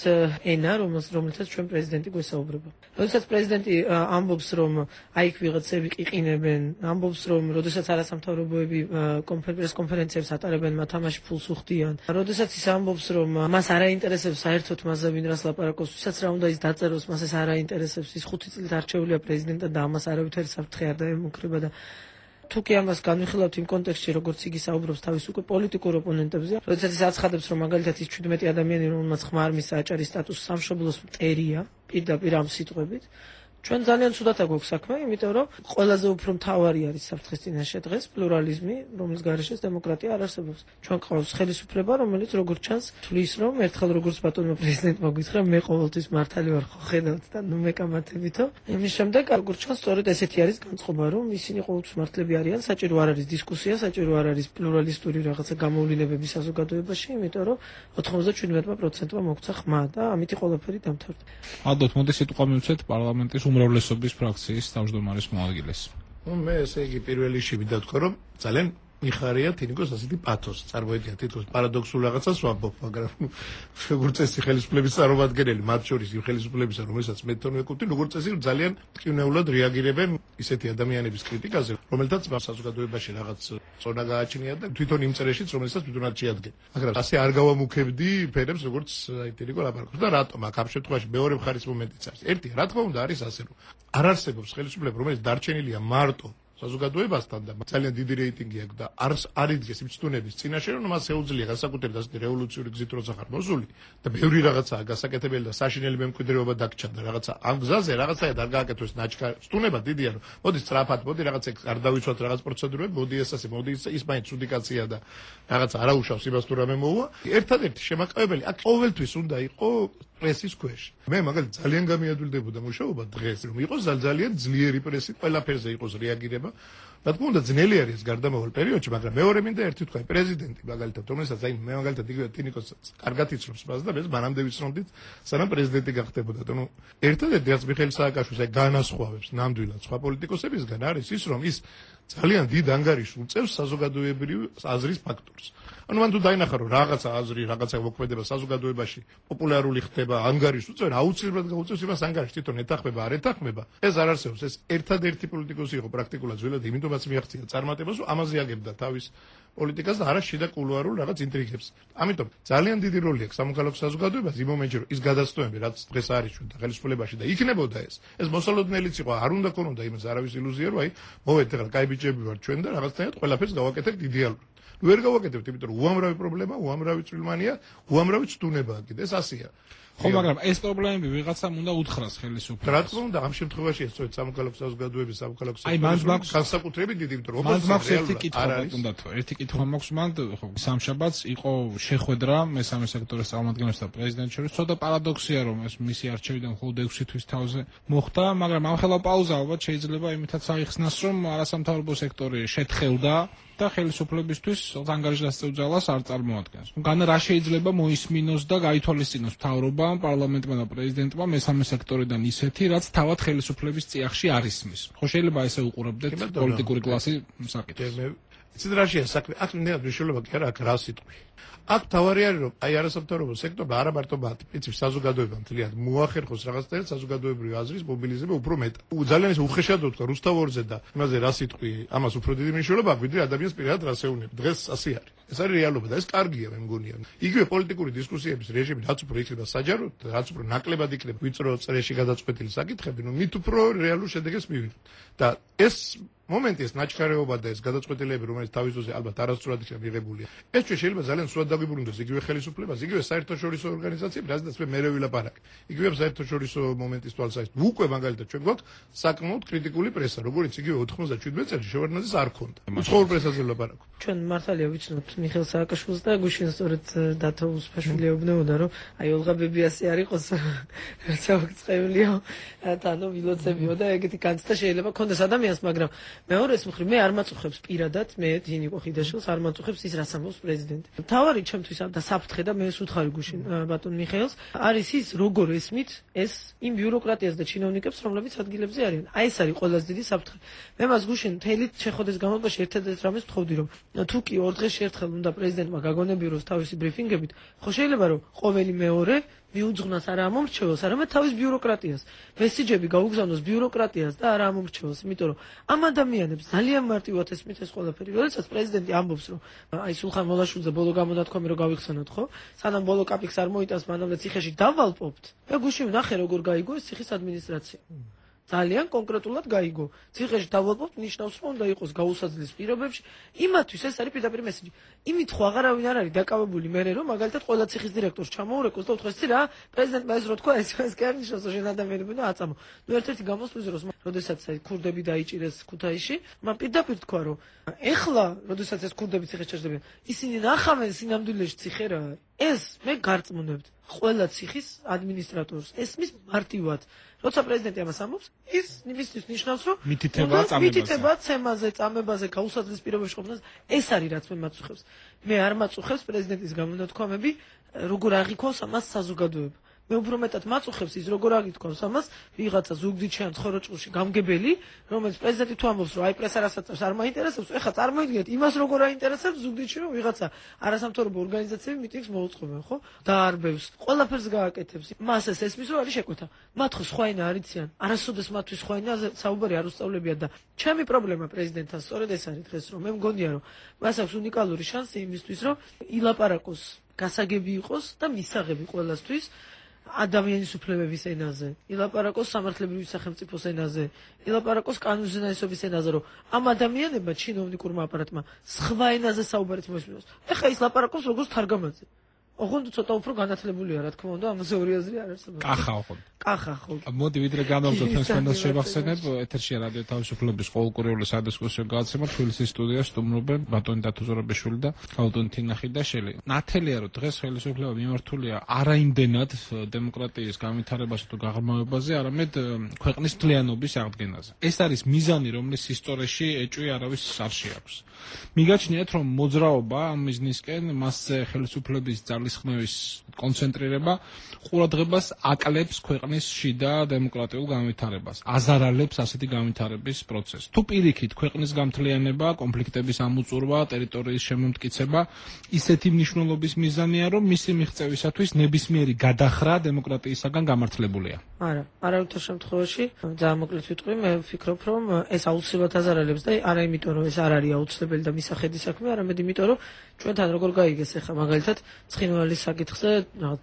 ენა, რომელსაც ჩვენ პრეზიდენტი გვესაუბრება. როდესაც პრეზიდენტი ამბობს, რომ აიქ ვიღაცები ყიყინებენ, ამბობს, რომ როდესაც არასამთავრობოები კონფერენციებს ატარებენ, მათ ამაში ფულს უხდიან. როდესაც ის ამბობს, რომ მას არ აინტერესებს საერთოდ მასზე ვინ რას ლაპარაკობს, ვისაც რა უნდა ის დაწეროს, მას ეს არ აინტერესებს, ის ხუთი წლით არჩეულია პრეზიდენტად და ამას არავითარი საფრთხე არ დაემუქრება და თუ კი ამას განვიხილავთ იმ კონტექსტში, როგორც იგი საუბრობს თავის უკვე პოლიტიკურ ოპონენტებზე, როდესაც ის აცხადებს, რომ მაგალითად ის შვიდმეტი ადამიანი, რომელმაც ხმა არ მისცა აჭარის სტატუსი სამშობლოს მტერია, პირდაპირ ამ სიტყვებით, ჩვენ ძალიან ცუდად აგვაქვს საქმე, იმიტომ რომ ყველაზე უფრო მთავარი არის საფრთხის წინაშე დღეს პლურალიზმი, რომლის გარეშეც დემოკრატია არ არსებობს. ჩვენ ყავს ხელისუფლება, რომელიც როგორც ჩანს, თვლის, რომ ერთხელ როგორც ბატონმა პრეზიდენტმა გითხრა, მე ყოველთვის მართალი ვარ, ხო ხედავთ და ნუ მეკამათებითო. იმის შემდეგ როგორც ჩანს, სწორედ ესეთი არის განწყობა, რომ ისინი ყოველთვის მართლები არიან, საჭირო არ არის დისკუსია, საჭირო არ არის პლურალისტური რაღაცა გამოვლინებები საზოგადოებაში, იმიტომ რომ ოთხმოცდაშვიდ პროცენტმა მოგცა ხმა და ამითი ყველაფერი დამთავრდა. ალბათ, მოდი სიტყვა მივცეთ პარლამენტის უმრავლესობის ფრაქციის თავმჯდომარის მოადგილეს. ნუ მე ესე იგი პირველ რიგში მინდა ვთქვა, რომ ძალიან მიხარია თინიკოს ასეთი პათოსი. წარმოიდგინეთ, თითქოს პარადოქსულ რაღაცას ვამბობ, მაგრამ როგორც წესი ხელისუფლების წარმომადგენელი, მათ შორის იმ ხელისუფლებისა, რომელსაც მე თვითონ ვეკუთვნი, როგორც წესი ძალიან მტკივნეულად რეაგირებენ ისეთი ადამიანების კრიტიკაზე, რომელთაც საზოგადოებაში რაღაც წონა გააჩნია და თვითონ იმ წერეშიც, რომელსაც თვითონაც შეადგენენ. მაგრამ ასე არ გავამუქებდი ფერებს, როგორც აი თინიკო ლაპარაკობს და რატომ აქ ამ შემთხვევაში მეორე მხარის მომენტიც არის. ერთი, რა თქმა უნდა, არის ასე, რომ არ არსებობს ხელისუფლება, რომელიც დარჩენილია მარტო საზოგადოებასთან და ძალიან დიდი რეიტინგი აქვს და არ არიდგეს იმ ცდუნების წინაშე, რომ მას შეუძლია განსაკუთრებით ასეთი რევოლუციური გზით როცა ხარ მოსული და ბევრი რაღაცაა გასაკეთებელი და საშინელი მემკვიდრეობა დაგჭა და რაღაცა ამ გზაზე რაღაცაა არ გააკეთოს ნაჩქარ ცდუნება დიდია, რომ მოდი სწრაფად, მოდი რაღაცა არ დავიცვათ რაღაც პროცედურები, მოდი ეს ასე, მოდი ის მაინც ცუდი კაცია და რაღაცა არაუშავს იმას თუ რამე მოუვა. ერთადერთი შემაყევებელი აქ ყოველთვის უნდა იყოს პრესის ქვეშ. მე მაგალითად ძალიან გამიადვილდებოდა მუშაობა დღეს, რომ იყოს ძალიან ძლიერი პრესი, ყველაფერზე იყოს რეაგირება. რა თქმა უნდა, ძნელი არის გარდამავალ პერიოდში, მაგრამ მეორე მინდა ერთი თქვა, პრეზიდენტი მაგალითად, რომელსაც აი მე მაგალითად იგივე თინიკოს კარგად იცნობს მას და მე მანამდე ვიცნობდით, სანამ პრეზიდენტი გახდებოდა. ნუ ერთადერთი რაც მიხეილ სააკაშვილს აი განასხვავებს ნამდვილად სხვა პოლიტიკოსებისგან არის ის, რომ ის ძალიან დიდ ანგარიშს უწევს საზოგადოებრივი აზრის ფაქტორს. ანუ მან თუ დაინახა, რომ რაღაცა აზრი, რაღაცა მოქმედება საზოგადოებაში პოპულარული ხდება, ანგარიშს უწევს, აუცილებლად გაუწევს იმას ანგარიშს, თვითონ ეთანხმება, არ ეთანხმება. ეს არ არსებობს, ეს ერთადერთი პოლიტიკოსი იყო პრაქტიკულად ძველად, იმიტომაც მიაღწია წარმატებას, რომ ამაზე აგებდა თავის პოლიტიკას და არა შიდა კულუარულ რაღაც ინტრიგებს. ამიტომ ძალიან დიდი როლი აქვს სამოქალაქო საზოგადოებას იმ მომენტში, რომ ის გადაცდომები, რაც დღეს არის ჩვენ და ხელისუფლებაში და იქნებოდა ეს. ეს მოსალოდნელიც იყო, არ უნდა ქონოდა იმას არავის ილუზია, რომ აი მოვედით ახლა კაი ბიჭები ვარ ჩვენ და რაღაცნაირად ყველაფერს გავაკეთებთ იდეალურად. ვერ გავაკეთებთ, იმიტომ რომ უამრავი პრობლემა, უამრავი წვრილმანია, უამრავი ცდუნებაა კიდე, ეს ასეა. ხო, მაგრამ ეს პრობლემები ვიღაცამ უნდა უთხრას ხელისუფლებას. რა თქმა უნდა, ამ შემთხვევაში ეს სწორედ სამოქალაქო საზოგადოების სამოქალაქო აი მან მაქვს განსაკუთრებით დიდი, იმიტომ რომ როგორც მაქვს ერთი კითხვა უნდათო, ერთი კითხვა მაქვს მან, ხო, სამშაბათს იყო შეხვედრა მესამე სექტორის წარმომადგენლებსა და პრეზიდენტს შორის, ცოტა პარადოქსია, რომ ეს მისი არჩევიდან მხოლოდ ექვსი თვის თავზე მოხდა, მაგრამ ამ ხელა პაუზა ალბათ შეიძლება იმითაც აიხსნას, რომ არასამთავრობო სექტორი შეთხელდა და ხელისუფლებისთვის ანგარიშგასწევ ძალას არ წარმოადგენს. განა რა შეიძლება მოისმინოს და გაითვალისწინოს მთავრობამ, პარლამენტმა და პრეზიდენტმა მესამე სექტორიდან ისეთი, რაც თავად ხელისუფლების წიაღში არ ისმის. ხო შეიძლება ესე უყურებდეთ პოლიტიკური კლასი საკითხს. იცით რა შეა საქმე? აქ ნეა მნიშვნელობა კი არა, აქ რა სიტყვი. აქ თავარი არის, რომ აი არასამთავრობო სექტორმა არა მარტო მათ, იცით საზოგადოებამ თლიანად მოახერხოს რაღაცნაირად საზოგადოებრივი აზრის მობილიზება უფრო მეტ. ძალიან ის უხეშად ვთქვა რუსთავორზე და იმაზე რა სიტყვი, ამას უფრო დიდი მნიშვნელობა აქვს, ვიდრე ადამიანს პირადად რას ეუბნება. დღეს ასე არის. ეს არის რეალობა და ეს კარგია მე მგონია. იგივე პოლიტიკური დისკუსიების რეჟიმი რაც უფრო იქნება საჯარო, რაც უფრო ნაკლებად იქნება ვიწრო წრეში გადაწყვეტილი საკითხები, ნუ მით უფრო რეალურ შედეგებს მივიღებთ. და ეს მომენტი ეს ნაჩქარეობა და ეს გადაწყვეტილებები, რომელიც თავის დროზე ალბათ არასწორად იქნება მიღებულია. ეს ჩვენ შეიძლება ძალიან სულად დაგვიბრუნდეს იგივე ხელისუფლებას, იგივე საერთაშორისო ორგანიზაციები, რაზედაც მე მერე ვილაპარაკე. იგივე საერთაშორისო მომენტის თვალსაზრისით. უკვე მაგალითად ჩვენ გვაქვს საკმაოდ კრიტიკული პრესა, როგორც იგივე ოთხმოცდაშვიდმეტ წელს შევარდნაძეს არ ქონდა. უცხოურ პრესაზე ვილაპარაკო. ჩვენ მართალია ვიცნობთ მიხეილ სააკაშვილს და გუშინ სწორედ დათო უსფაშვილი ეუბნებოდა, რომ აი ოლღა ბებიასი არ იყოს რაცა აღწევლიო, თანო ვილოცებიო და ეგეთი განცდა შეიძლება ქონდეს ადამიანს, მაგრამ მეორეს მხრივ მე არ მაწუხებს პირადად, მე დინიკო ხიდაშვილს არ მაწუხებს ის რაც ამბობს პრეზიდენტი. თავარი ჩემთვის და საფრთხე და მე სუთხარი გუშინ ბატონ მიხეილს არის ის როგორ ესმით ეს იმ ბიუროკრატიას და ჩინოვნიკებს, რომლებიც ადგილებზე არიან. აი ეს არის ყველაზე დიდი საფრთხე. მე მას გუშინ თელი შეხვედის განმავლობაში ერთადერთ რამეს ვთხოვდი, რომ თუ კი ორ დღეში ერთხელ უნდა პრეზიდენტმა გაგონებიეროს თავისი ბრიფინგებით, ხო შეიძლება რომ ყოველი მეორე მიუძღვნას არა ამომრჩეველს, არამედ თავის ბიუროკრატიას. მესიჯები გაუგზავნოს ბიუროკრატიას და არა ამომრჩეველს, იმიტომ რომ ამ ადამიანებს ძალიან მარტივად ესმით ეს ყველაფერი. როდესაც პრეზიდენტი ამბობს, რომ აი სულხან მოლაშვილზე ბოლო გამონათქვამი რომ გავიხსენოთ, ხო? სანამ ბოლო კაპიქს არ მოიტანს, მანამდე ციხეში დავალპობთ. მე გუშინ ვნახე როგორ გაიგო ეს ციხის ადმინისტრაცია. ძალიან კონკრეტულად გაიგო. ციხეში დავალპობთ ნიშნავს, რომ უნდა იყოს გაუსაძლის პირობებში. იმათვის ეს არის პირდაპირ მესიჯი. იმით ხო აღარავინ არ არის დაკავებული მერე, რომ მაგალითად ყველა ციხის დირექტორს ჩამოურეკოს და უთხრეს ცი რა, პრეზიდენტმა ეს რო თქვა, ეს ეს კი არ ნიშნავს, რომ შენ ადამიანები და აწამო. ნუ ერთ-ერთი გამოსვლის დროს, როდესაც აი ქურდები დაიჭირეს ქუთაისში, მან პირდაპირ თქვა, რომ ეხლა, როდესაც ეს ქურდები ციხეს ჩაჯდებიან, ისინი ნახავენ სინამდვილეში ციხე რა არის. ეს მე გარწმუნებთ ყველა ციხის ადმინისტრატორს. ესმის მარტივად. როცა პრეზიდენტი ამას ამბობს, ის იმისთვის ნიშნავს, რომ მითითება წამებაზე. მითითება ცემაზე, წამებაზე, გაუსაძლის პირობებში ყოფნას, ეს არის რაც მე მაწუხებს. მე არ მაწუხებს პრეზიდენტის გამონათქვამები, როგორ აღიქواس ამას საზოგადოება. მე უფრო მეტად მაწუხებს ის როგორ აგითქვას ამას ვიღაცა ზუგდიდში ან ცხოროჭულში გამგებელი, რომელიც პრეზიდენტი თუ ამბობს, რომ აი პრესა რასაც არ მაინტერესებს, ეხლა წარმოიდგინეთ იმას როგორ აინტერესებს ზუგდიდში, რომ ვიღაცა არასამთავრობო ორგანიზაციები მიტინგს მოუწყობენ, ხო? დაარბევს, ყველაფერს გააკეთებს. მას ეს ესმის, რომ არის შეკვეთა. მათ ხო სხვა ენა არ იციან, არასოდეს მათთვის სხვა ენაზე საუბარი არ უსწავლებია და ჩემი პრობლემა პრეზიდენტთან სწორედ ეს არის დღეს, რომ მე მგონია, რომ მას აქვს უნიკალური შანსი იმისთვის, რომ ილაპარაკოს, გასაგები იყოს და მისაღები ყველასთვის. ადამიანის უფლებების ენაზე, ილაპარაკოს სამართლებრივი სახელმწიფოს ენაზე, ილაპარაკოს კანონზენაესობის ენაზე, რომ ამ ადამიანებმა ჩინოვნიკურმა აპარატმა სხვა ენაზე საუბარით მოისმინოს. ეხლა ის ლაპარაკობს როგორც თარგამაძე. ოღონდ ცოტა უფრო განათლებულია, რა თქმა უნდა, ამაზე ორი აზრი არ არსებობს. კახა ოღონდ. კახა ხო. მოდი ვიდრე განავზოთ თემს შევახსენებ, ეთერშია რადიო თავისუფლების ყოველკვირეული სადისკუსიო გადაცემა თბილისის სტუდიაში სტუმრობენ ბატონი დათო ზურაბიშვილი და ქალბატონი თინა ხიდაშელი. ნათელია რომ დღეს ხელისუფლება მიმართულია არაიმდენად დემოკრატიის განვითარებასა თუ გაღრმავებაზე, არამედ ქვეყნის მთლიანობის აღდგენაზე. ეს არის მიზანი, რომლის ისტორიაში ეჭვი არავის არ შეაქვს. მიგაჩნიათ რომ მოძრაობა ამ მიზნისკენ მასზე ხელისუფლების ძალისხმევის კონცენტრირება ყურადღებას აკლებს ქვეყნის შიდა დემოკრატიულ განვითარებას, აზარალებს ასეთი განვითარების პროცესს. თუ პირიქით ქვეყნის გამთლიანება, კონფლიქტების ამოწურვა, ტერიტორიის შემომტკიცება ისეთი მნიშვნელობის მიზანია, რომ მისი მიღწევისათვის ნებისმიერი გადახრა დემოკრატიისაგან გამართლებულია. არა, არავითარ შემთხვევაში ძალიან მოკლედ ვიტყვი, მე ვფიქრობ, რომ ეს აუცილებლად აზარალებს და არა იმიტომ, რომ ეს არ არის აუცილებელი და მისახედი საქმე, არამედ იმიტომ, რომ ჩვენთან როგორ გაიგეს ახლა მაგალითად ცხინვალის საკითხზე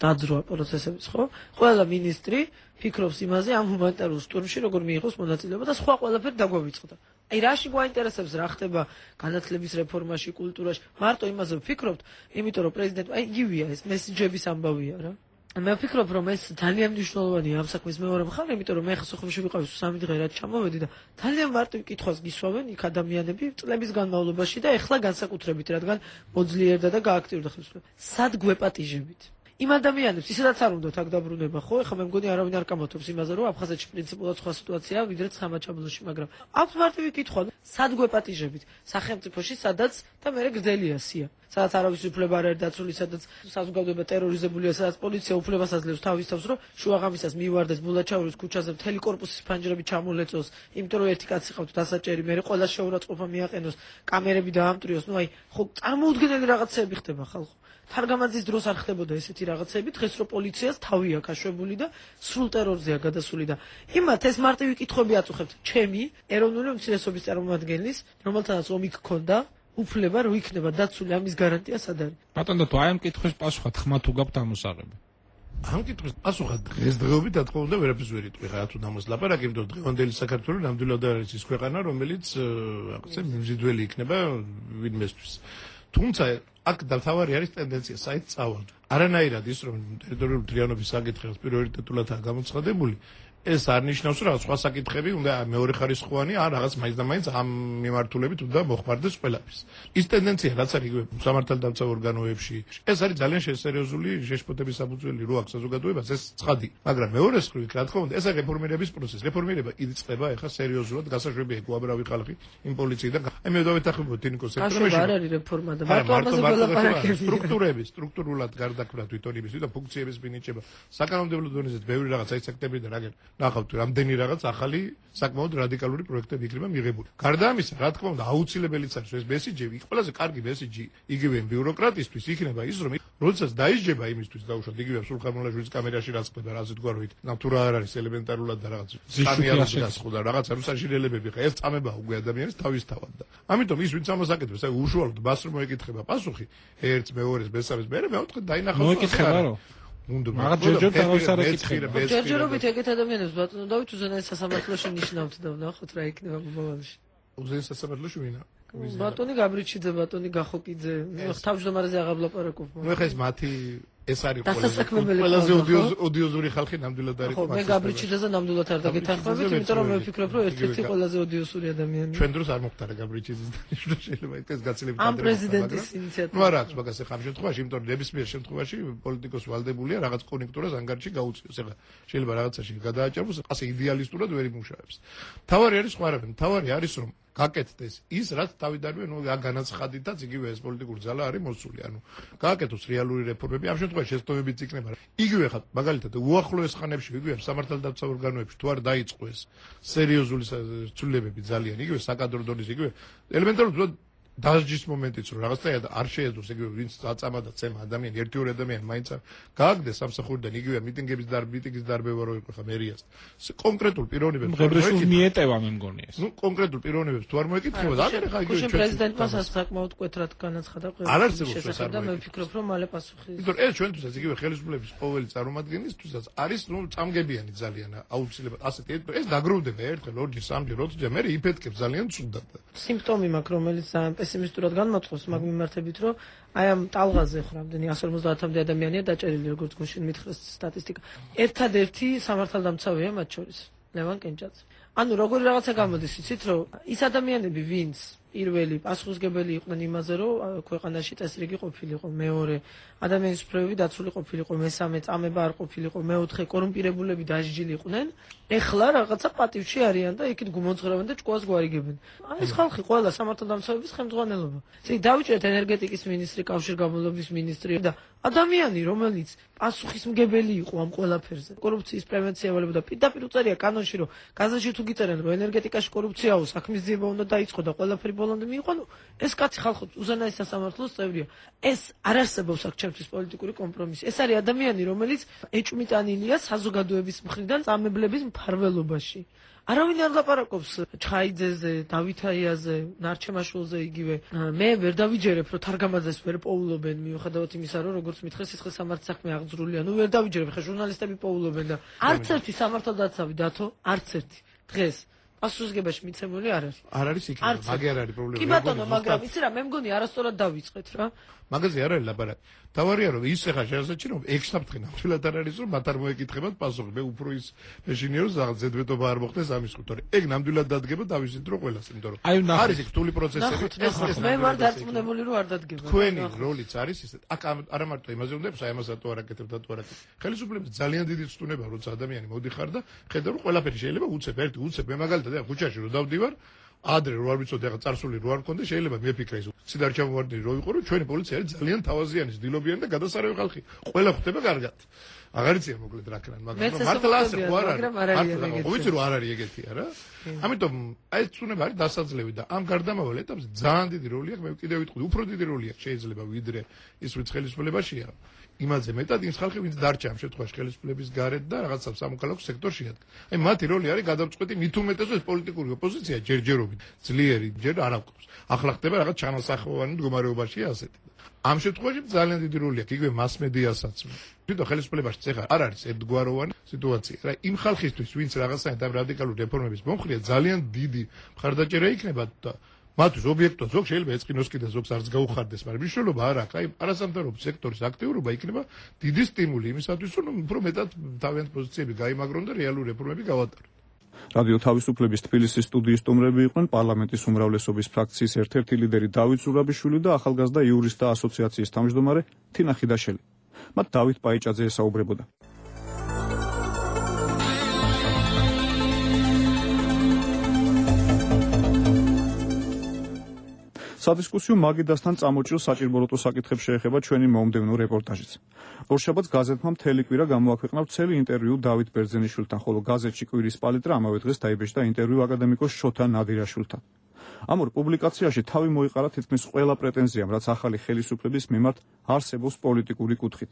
დაძროა პროცესების, ხო? ყველა მინისტრი ფიქრობს იმაზე ამ ჰუმანიტარულ შტურმში როგორ მიიღოს მონაწილეობა და სხვა ყველაფერი დაგვავიწყდა. აი რაში გვაინტერესებს რა ხდება განათლების რეფორმაში, კულტურაში, მარტო იმაზე ვფიქრობთ, იმიტომ რომ პრეზიდენტი აი იგივეა ეს მესიჯების ამბავია რა. მე ვფიქრობ რომ ეს ძალიან მნიშვნელოვანია ამ საქმის მეორე მხარე, იმიტომ რომ მე ხა სოხუმში ვიყავი სამი დღე რაც ჩამოვედი და ძალიან მარტივ კითხვას გისვავენ იქ ადამიანები წლების განმავლობაში და ეხლა განსაკუთრებით რადგან მოძლიერდა და გააქტიურდა ხელისუფლება. სად გვეპატიჟებით? იმ ადამიანებს ისედაც არ უნდათ აქ დაბრუნება, ხო? ეხლა მე მგონი არავინ არ კამათობს იმაზე, რომ აფხაზეთში პრინციპულად სხვა სიტუაციაა, ვიდრე ცხამაჩაბლოში, მაგრამ აქვს მარტივი კითხვა, სად გვეპატიჟებით? სახელმწიფოში, სადაც და მე გრძელია სია. სადაც არავის უფლება არ არის დაცული, სადაც საზოგადოება ტერორიზებულია, სადაც პოლიცია უფლებას აძლევს თავის თავს, რომ შუაღამისას მიივარდეს ბულაჩაურის ქუჩაზე მთელი კორპუსის ფანჯრები ჩამოლეწოს, იმიტომ რომ ერთი კაცი ყავთ დასაჭერი, მე ყველა შეურაცხყოფა მიაყენოს, კამერები დაამტრიოს, ნუ აი, ხო წარმოუდგენელი რაღაცები ხდება ხალხო. თარგამაძის დროს არ ხდებოდა ესეთი რაღაცები, დღეს რო პოლიციას თავი აქვს აშვებული და სრულ ტერორზეა გადასული და იმათ ეს მარტივი კითხვები აწუხებთ. ჩემი ეროვნული უმცირესობის წარმომადგენლის, რომელთანაც ომი გქონდა, უფლება რო იქნება დაცული ამის გარანტია სად არის? ბატონო, თუ აი ამ კითხვის პასუხად ხმა თუ გაქვთ ამოსაღები. ამ კითხვის პასუხად დღესდღეობით რა თქმა უნდა ვერაფერს ვერ იტყვი რა თუ დამოს ლაპარაკი, იმიტომ რომ დღევანდელი საქართველო ნამდვილად არის ის ქვეყანა, რომელიც რაღაცა მიმზიდველი იქნება ვინმესთვის. თუმცა აქ თავარი არის ტენდენცია საით წავალ. არანაირად ის რომ ტერიტორიული მთლიანობის საკითხებს პრიორიტეტულადაა გამოცხადებული, ეს არ ნიშნავს რომ სხვა საკითხები უნდა მეორე ხარისხოვანი ან რაღაც მაინც და მაინც ამ მიმართულებით უნდა მოხმარდეს ყველაფერს. ის ტენდენცია რაც არის იგივე სამართალდამცავ ორგანოებში, ეს არის ძალიან შესერიოზული შეშფოთების საფუძველი რო აქვს საზოგადოებას, ეს ცხადი. მაგრამ მეორე მხრივ, რა თქმა უნდა, ეს არის რეფორმირების პროცესი. რეფორმირება იწყება ეხლა სერიოზულად, გასაშვებია იქ უამრავი ხალხი იმ პოლიციიდან. აი მე დავეთახმებოდ ტინიკოს სექტორში. არ არის რეფორმა და მარტო ამაზე ველაპარაკები. სტრუქტურების, სტრუქტურულად გარდაქმნა თვითონ იმის და ფუნქციების მინიჭება. საკანონმდებლო დონეზე ბევრი რაღაც აი სექტემბრიდან რაგენ ნახავთ რამდენი რაღაც ახალი საკმაოდ რადიკალური პროექტები იქნება მიღებული. გარდა ამისა, რა თქმა უნდა, აუცილებელიც არის ეს მესიჯები, ყველაზე კარგი მესიჯი იგივე ბიუროკრატისთვის იქნება ის, რომ როდესაც დაიჯება იმისთვის დაუშვათ იგივე სულხან-მოლაშვილის კამერაში რაც ხდება, რაზე თქვა რომ ნავთუ რა არ არის ელემენტარულად და რაღაც სკანიალს გასხოდა, რაღაც რუსაშინელებები ხა ეს წამება უკვე ადამიანის თავისთავად და ამიტომ ის ვინც ამას აკეთებს, აი უშუალოდ მას რომ მოეკითხება პასუხი, ერთს, მეორეს, მესამეს, მერე მეოთხე დაინახავს. მოეკითხება რომ უნდა მაგ ჯერჯერ თავის არ ეკითხება. ჯერჯერობით ეგეთ ადამიანებს ბატონო დავით უზენაეს სასამართლოში ნიშნავთ და ვნახოთ რა იქნება ბოლოში. უზენაეს სასამართლოში ვინა? ბატონი გაბრიჩიძე, ბატონი გახოკიძე, თავმჯდომარეზე აღარ ვლაპარაკობ. ნუ ეხა ეს მათი ეს არის დასასაქმებელი ყველაზე ოდიოზური ხალხი ნამდვილად არის. ხო, მე გაბრიჩიძეზე ნამდვილად არ დაგეთანხმებით, იმიტომ რომ მე ვფიქრობ, რომ ერთ-ერთი ყველაზე ოდიოზური ადამიანია. ჩვენ დროს არ მოხდარა გაბრიჩიძის დანიშნა, შეიძლება ეს გაცილებით ამ პრეზიდენტის ინიციატივა. ნუ არა აქვს მაგას ეხა ამ შემთხვევაში, იმიტომ რომ ნებისმიერ შემთხვევაში პოლიტიკოს ვალდებულია რაღაც კონექტურას ანგარიში გაუწიოს. ეხა შეიძლება რაღაცაში გადააჭარბოს, ასე იდეალისტურად ვერ იმუშავებს. თავარი არის სხვა რამე, თავარი არის რომ გაკეთდეს ის რაც თავიდანვე ნუ განაცხადითაც იგივე ეს პოლიტიკური ძალა არის მოსული, ანუ გააკეთოს რეალური რეფორმები, ამ შემთხვევაში შეცდომებიც იქნება. იგივე ხა მაგალითად უახლოეს ხანებში იგივე სამართალდამცავ ორგანოებში თუ არ დაიწყო ეს სერიოზული ცვლილებები ძალიან იგივე საკადრო დონის იგივე ელემენტარულად დასჯის მომენტიც რომ რაღაცა არ შეეძლოს იგივე ვინც აწამა და წემა ადამიანი ერთი ორი ადამიანი მაინც გააგდეს სამსახურიდან იგივე მიტინგების და მიტინგის დარბევა რო იყო ხა მერიას კონკრეტულ პიროვნებებს ღებრეშულ მიეტევა მე მგონი ეს ნუ კონკრეტულ პიროვნებებს თუ არ მოეკითხება და აგერ ხა იგივე ჩვენ პრეზიდენტმა საკმაოდ კვეთრად განაცხადა ყველაფერი შესაძლოა და მე ვფიქრობ რომ მალე პასუხი იმიტომ ეს ჩვენთვისაც იგივე ხელისუფლების ყოველი წარმომადგენლისთვისაც არის ნუ წამგებიანი ძალიან აუცილებლად ასეთი ეს დაგროვდება ერთხელ ორჯერ სამჯერ ოცჯერ მე იფეთქებს ძალიან ცუდად სიმპტომი მაქვს რომელიც პესიმისტურად განმოწყობს მაგ მიმართებით რომ აი ამ ტალღაზე ხო რამდენი εκατს ორმოცდაათამდე ადამიანია დაჭერილი როგორც გუშინ მითხრეს სტატისტიკა ერთადერთი სამართალდამცავია მათ შორის ლევან კენჭაძე ანუ როგორი რაღაცა გამოდის იცით რომ ის ადამიანები ვინც პირველი პასუხისგებელი იყვნენ იმაზე რომ ქვეყანაში წესრიგი ყოფილიყო მეორე ადამიანის ფრევები დაცული ყოფილიყო მესამე წამება არ ყოფილიყო მეოთხე კორუმპირებულები დასჯილიყვნენ ეხლა რაღაცა პატივში არიან და იქით გუმოძღრავენ და ჭკუას გვარიგებენ აი ეს ხალხი ყველა სამართალდამცავების ხელმძღვანელობა ისე დავიჭერეთ ენერგეტიკის მინისტრი კავშირგაბმულობის მინისტრი და ადამიანი რომელიც პასუხისმგებელი იყო ამ ყველაფერზე კორუფციის პრევენცია ველებოდა პირდაპირ უწერია კანონში რომ გაზეთში თუ გიწერენ რომ ენერგეტიკაში კორუფციაო საქმის ძიება უნდა დაიწყო და ყველაფერი ბოლომდე მიიღო, ნუ ეს კაცი ხალხო უზენაეს სასამართლოს წევრია. ეს არ არსებობს აქ ჩემთვის პოლიტიკური კომპრომისი. ეს არის ადამიანი, რომელიც ეჭვმიტანილია საზოგადოების მხრიდან წამებლების მფარველობაში. არავინ არ ლაპარაკობს ჩხაიძეზე, დავითაიაზე, ნარჩემაშვილზე იგივე. მე ვერ დავიჯერებ, რომ თარგამაძეს ვერ პოულობენ, მიუხედავად იმისა, რომ როგორც მითხეს, სიცხეს სამართლის საქმე აღძრულია. ნუ ვერ დავიჯერებ, ხა ჟურნალისტები პოულობენ და არც ერთი სამართალდაცავი დათო, არც ერთი. დღეს პასუხისგებაში მიცემული არ არის. არ არის იქ, მაგე არ არის პრობლემა. კი ბატონო, მაგრამ იცი რა, მე მგონი არასწორად დავიწყეთ რა. მაგაზე არ არის ლაპარაკი. თავარია რომ ის ახლა შეასაჩი რომ ექვსსაფრთხე ნამდვილად არ არის რომ მათ არ მოეკითხებათ პასუხი. მე უფრო ის მეშინია რომ რაღაც ზედმეტობა არ მოხდეს ამის ხუთი. ეგ ნამდვილად დადგება დავიზით რომ ყველას, იმიტომ რომ არის იქ რთული პროცესები. მე ვარ დარწმუნებული რომ არ დადგება. თქვენი როლიც არის ისე. აქ არა მარტო იმაზე უნდა იყოს, აი ამასაც თუ არ აკეთებ და თუ არ აკეთებ. ხელისუფლების ძალიან დიდი ცნუნება როცა ადამიანი მოდიხარ და ხედავ რომ ყველაფერი შეიძლება უცებ ერთი უცებ მე მაგალითად ახლა ქუჩაში რო დავდივარ ადრე რო არ ვიცოდი ახლა წარსული რო არ მქონდა შეიძლება მეფიქრე ის სიდარ ჩამოვარდნი რო იყო რომ ჩვენი პოლიცია არის ძალიან თავაზიანი ძდილობიანი და გადასარევი ხალხი ყველა ხვდება კარგად აღარ იციან მოკლედ რა ქნან მაგრამ მართლა ასე ხო არ არის მართლა ვიცი რომ არ არის ეგეთი არა ამიტომ აი ცუნება არის დასაძლევი და ამ გარდამავალ ეტაპზე ძალიან დიდი როლი აქვს მე კიდევ ვიტყვი უფრო დიდი როლი აქვს შეიძლება ვიდრე ის ვიც ხელისუფლებაშია იმაზე მეტად ის ხალხი ვინც დარჩა ამ შემთხვევაში ხელისუფლების გარეთ და რაღაცა სამოქალაქო სექტორში იდგა. აი მათი როლი არის გადამწყვეტი მით უმეტეს ეს პოლიტიკური ოპოზიცია ჯერჯერობით ძლიერი ჯერ არ აღკვეთს. ახლა ხდება რაღაც ჩანასახოვანი მდგომარეობაშია ასეთი. ამ შემთხვევაში ძალიან დიდი როლი აქვს იგივე მასმედიასაც. თვითონ ხელისუფლებაში ეხლა არ არის ერთგვაროვანი სიტუაცია. რა იმ ხალხისთვის ვინც რაღაცა რადიკალური რეფორმების მომხრეა ძალიან დიდი მხარდაჭერა იქნება და მათთვის ობიექტო ზოგ შეიძლება ეწყინოს კიდე ზოგს არც გაუხარდეს, მაგრამ მნიშვნელობა არ აქვს. აი არასამთავრობო სექტორის აქტიურობა იქნება დიდი სტიმული იმისათვის, რომ უფრო მეტად თავიანთი პოზიციები გაიმაგრონ და რეალური რეფორმები გავატარონ. რადიო თავისუფლების თბილისის სტუდიის სტუმრები იყვნენ პარლამენტის უმრავლესობის ფრაქციის ერთ-ერთი ლიდერი დავით ზურაბიშვილი და ახალგაზრდა იურისტთა ასოციაციის თავმჯდომარე თინა ხიდაშელი. მათ დავით პაიჭაძე ესაუბრებოდა. სადისკუსიო მაგიდასთან წამოჭრილ საჭირბოროტო საკითხებს შეეხება ჩვენი მომდევნო რეპორტაჟიც. ორშაბათს გაზეთმა მთელი კვირა გამოაქვეყნა ვრცელი ინტერვიუ დავით ბერძენიშვილთან, ხოლო გაზეთში კვირის პალიტრა ამავე დღეს დაიბეჭდა ინტერვიუ აკადემიკოს შოთა ნადირაშვილთან. ამ ორ პუბლიკაციაში თავი მოიყარა თითქმის ყველა პრეტენზიამ, რაც ახალი ხელისუფლების მიმართ არსებობს პოლიტიკური კუთხით.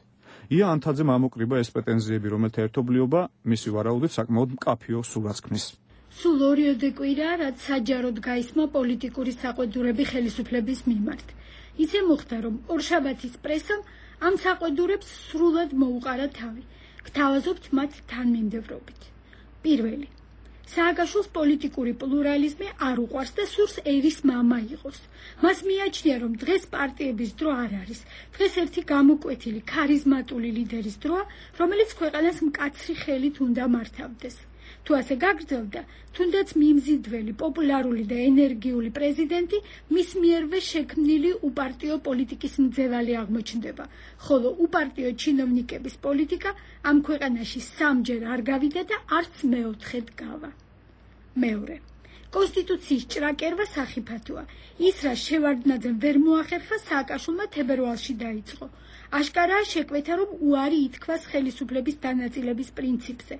ია ანთაძემ ამოკრიბა ეს პრეტენზიები, რომელთა ერთობლიობა მისი ვარაუდით საკმაოდ მკაფიო სურათს ქმნის. სულ ორიოდე კვირაა, რაც საჯაროდ გაისმა პოლიტიკური საყვედურები ხელისუფლების მიმართ. ისე მოხდა, რომ ორშაბათის პრესამ ამ საყვედურებს სრულად მოუყარა თავი. გთავაზობთ მათ თანმიმდევრობით. პირველი. სააკაშვილს პოლიტიკური პლურალიზმი არ უყვარს და სურს ერის მამა იყოს. მას მიაჩნია, რომ დღეს პარტიების დრო არ არის. დღეს ერთი გამოკვეთილი, ქარიზმატული ლიდერის დროა, რომელიც ქვეყანას მკაცრი ხელით უნდა მართავდეს. თუ ასე გაგრძელდა, თუნდაც მიმზიდველი, პოპულარული და ენერგიული პრეზიდენტი მის მიერვე შექმნილი უპარტიო პოლიტიკის მძევალი აღმოჩნდება, ხოლო უპარტიო ჩინოვნიკების პოლიტიკა ამ ქვეყანაში სამჯერ არ გავიდა და არც მეოთხედ გავა. მეორე. კონსტიტუციის ჭრაკერვა სახიფათოა. ის, რა შევარდნაძემ ვერ მოახერხა, სააკაშვილმა თებერვალში დაიწყო. აშკარაა შეკვეთა, რომ უარი ითქვას ხელისუფლების დანაწილების პრინციპზე.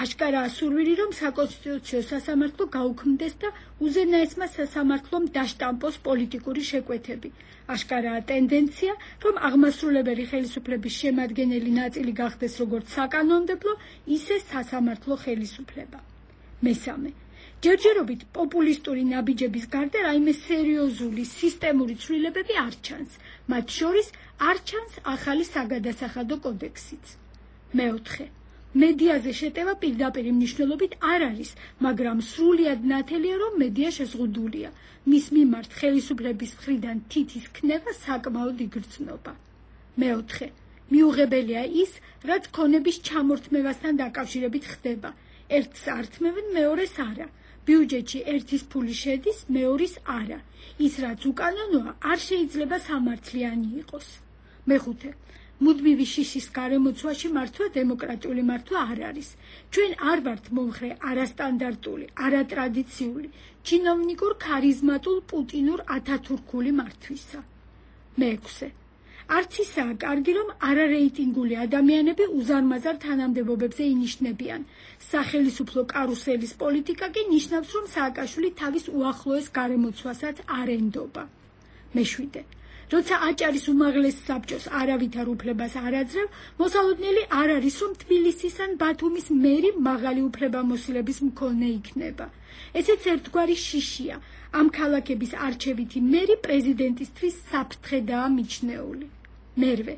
აშკარაა სურვილი, რომ საკონსტიტუციო სასამართლო გაუქმდეს და უზენაესმა სასამართლომ დაშტამპოს პოლიტიკური შეკვეთები. აშკარაა ტენდენცია, რომ აღმასრულებელი ხელისუფლების შემადგენელი ნაწილი გახდეს როგორც საკანონმდებლო, ისე სასამართლო ხელისუფლება. მესამე. ჯერჯერობით პოპულისტური ნაბიჯების გარდა რაიმე სერიოზული სისტემური ცვლილებები არ ჩანს. მათ შორის არ ჩანს ახალი საგადასახადო კოდექსიც. მეოთხე. მედიაზე შეტევა პირდაპირ მნიშვნელობით არ არის, მაგრამ სრულად ნათელია, რომ მედია შეზღუდულია. მის მიმართ ხელისუფლების მხრიდან თითის ქნება საკმაოდ იგრძნობა. მეოთხე. მიუღებელია ის, რაც ქონების ჩამორთმევასთან დაკავშირებით ხდება. ერთს ართმევენ, მეორეს არა. ბიუჯეტში ერთის ფული შედის, მეორის არა. ის, რაც უკანონოა, არ შეიძლება სამართლიანი იყოს. მეხუთე. მუდმივი შიშის გარემოცვაში მართვა დემოკრატიული მართვა არ არის. ჩვენ არ ვართ მომხრე არასტანდარტული, არატრადიციული, ჩინოვნიკურ ქარიზმატულ პუტინურ ათათურქული მართვისა. მეექვსე. არც ისაა კარგი, რომ არარეიტინგული ადამიანები უზარმაზარ თანამდებობებზე ინიშნებიან. სახელისუფლო კარუსელის პოლიტიკა კი ნიშნავს, რომ სააკაშვილი თავის უახლოეს გარემოცვასაც არ ენდობა. მეშვიდე. როცა აჭარის უმაღლეს საბჭოს არავითარ უფლებას არ აძლევ, მოსალოდნელი არ არის, რომ თბილისის ან ბათუმის მერი მაღალი უფლებამოსილების მქონე იქნება. ესეც ერთგვარი შიშია. ამ ქალაქების არჩევითი მერი პრეზიდენტისთვის საფრთხედაა მიჩნეული. მერვე.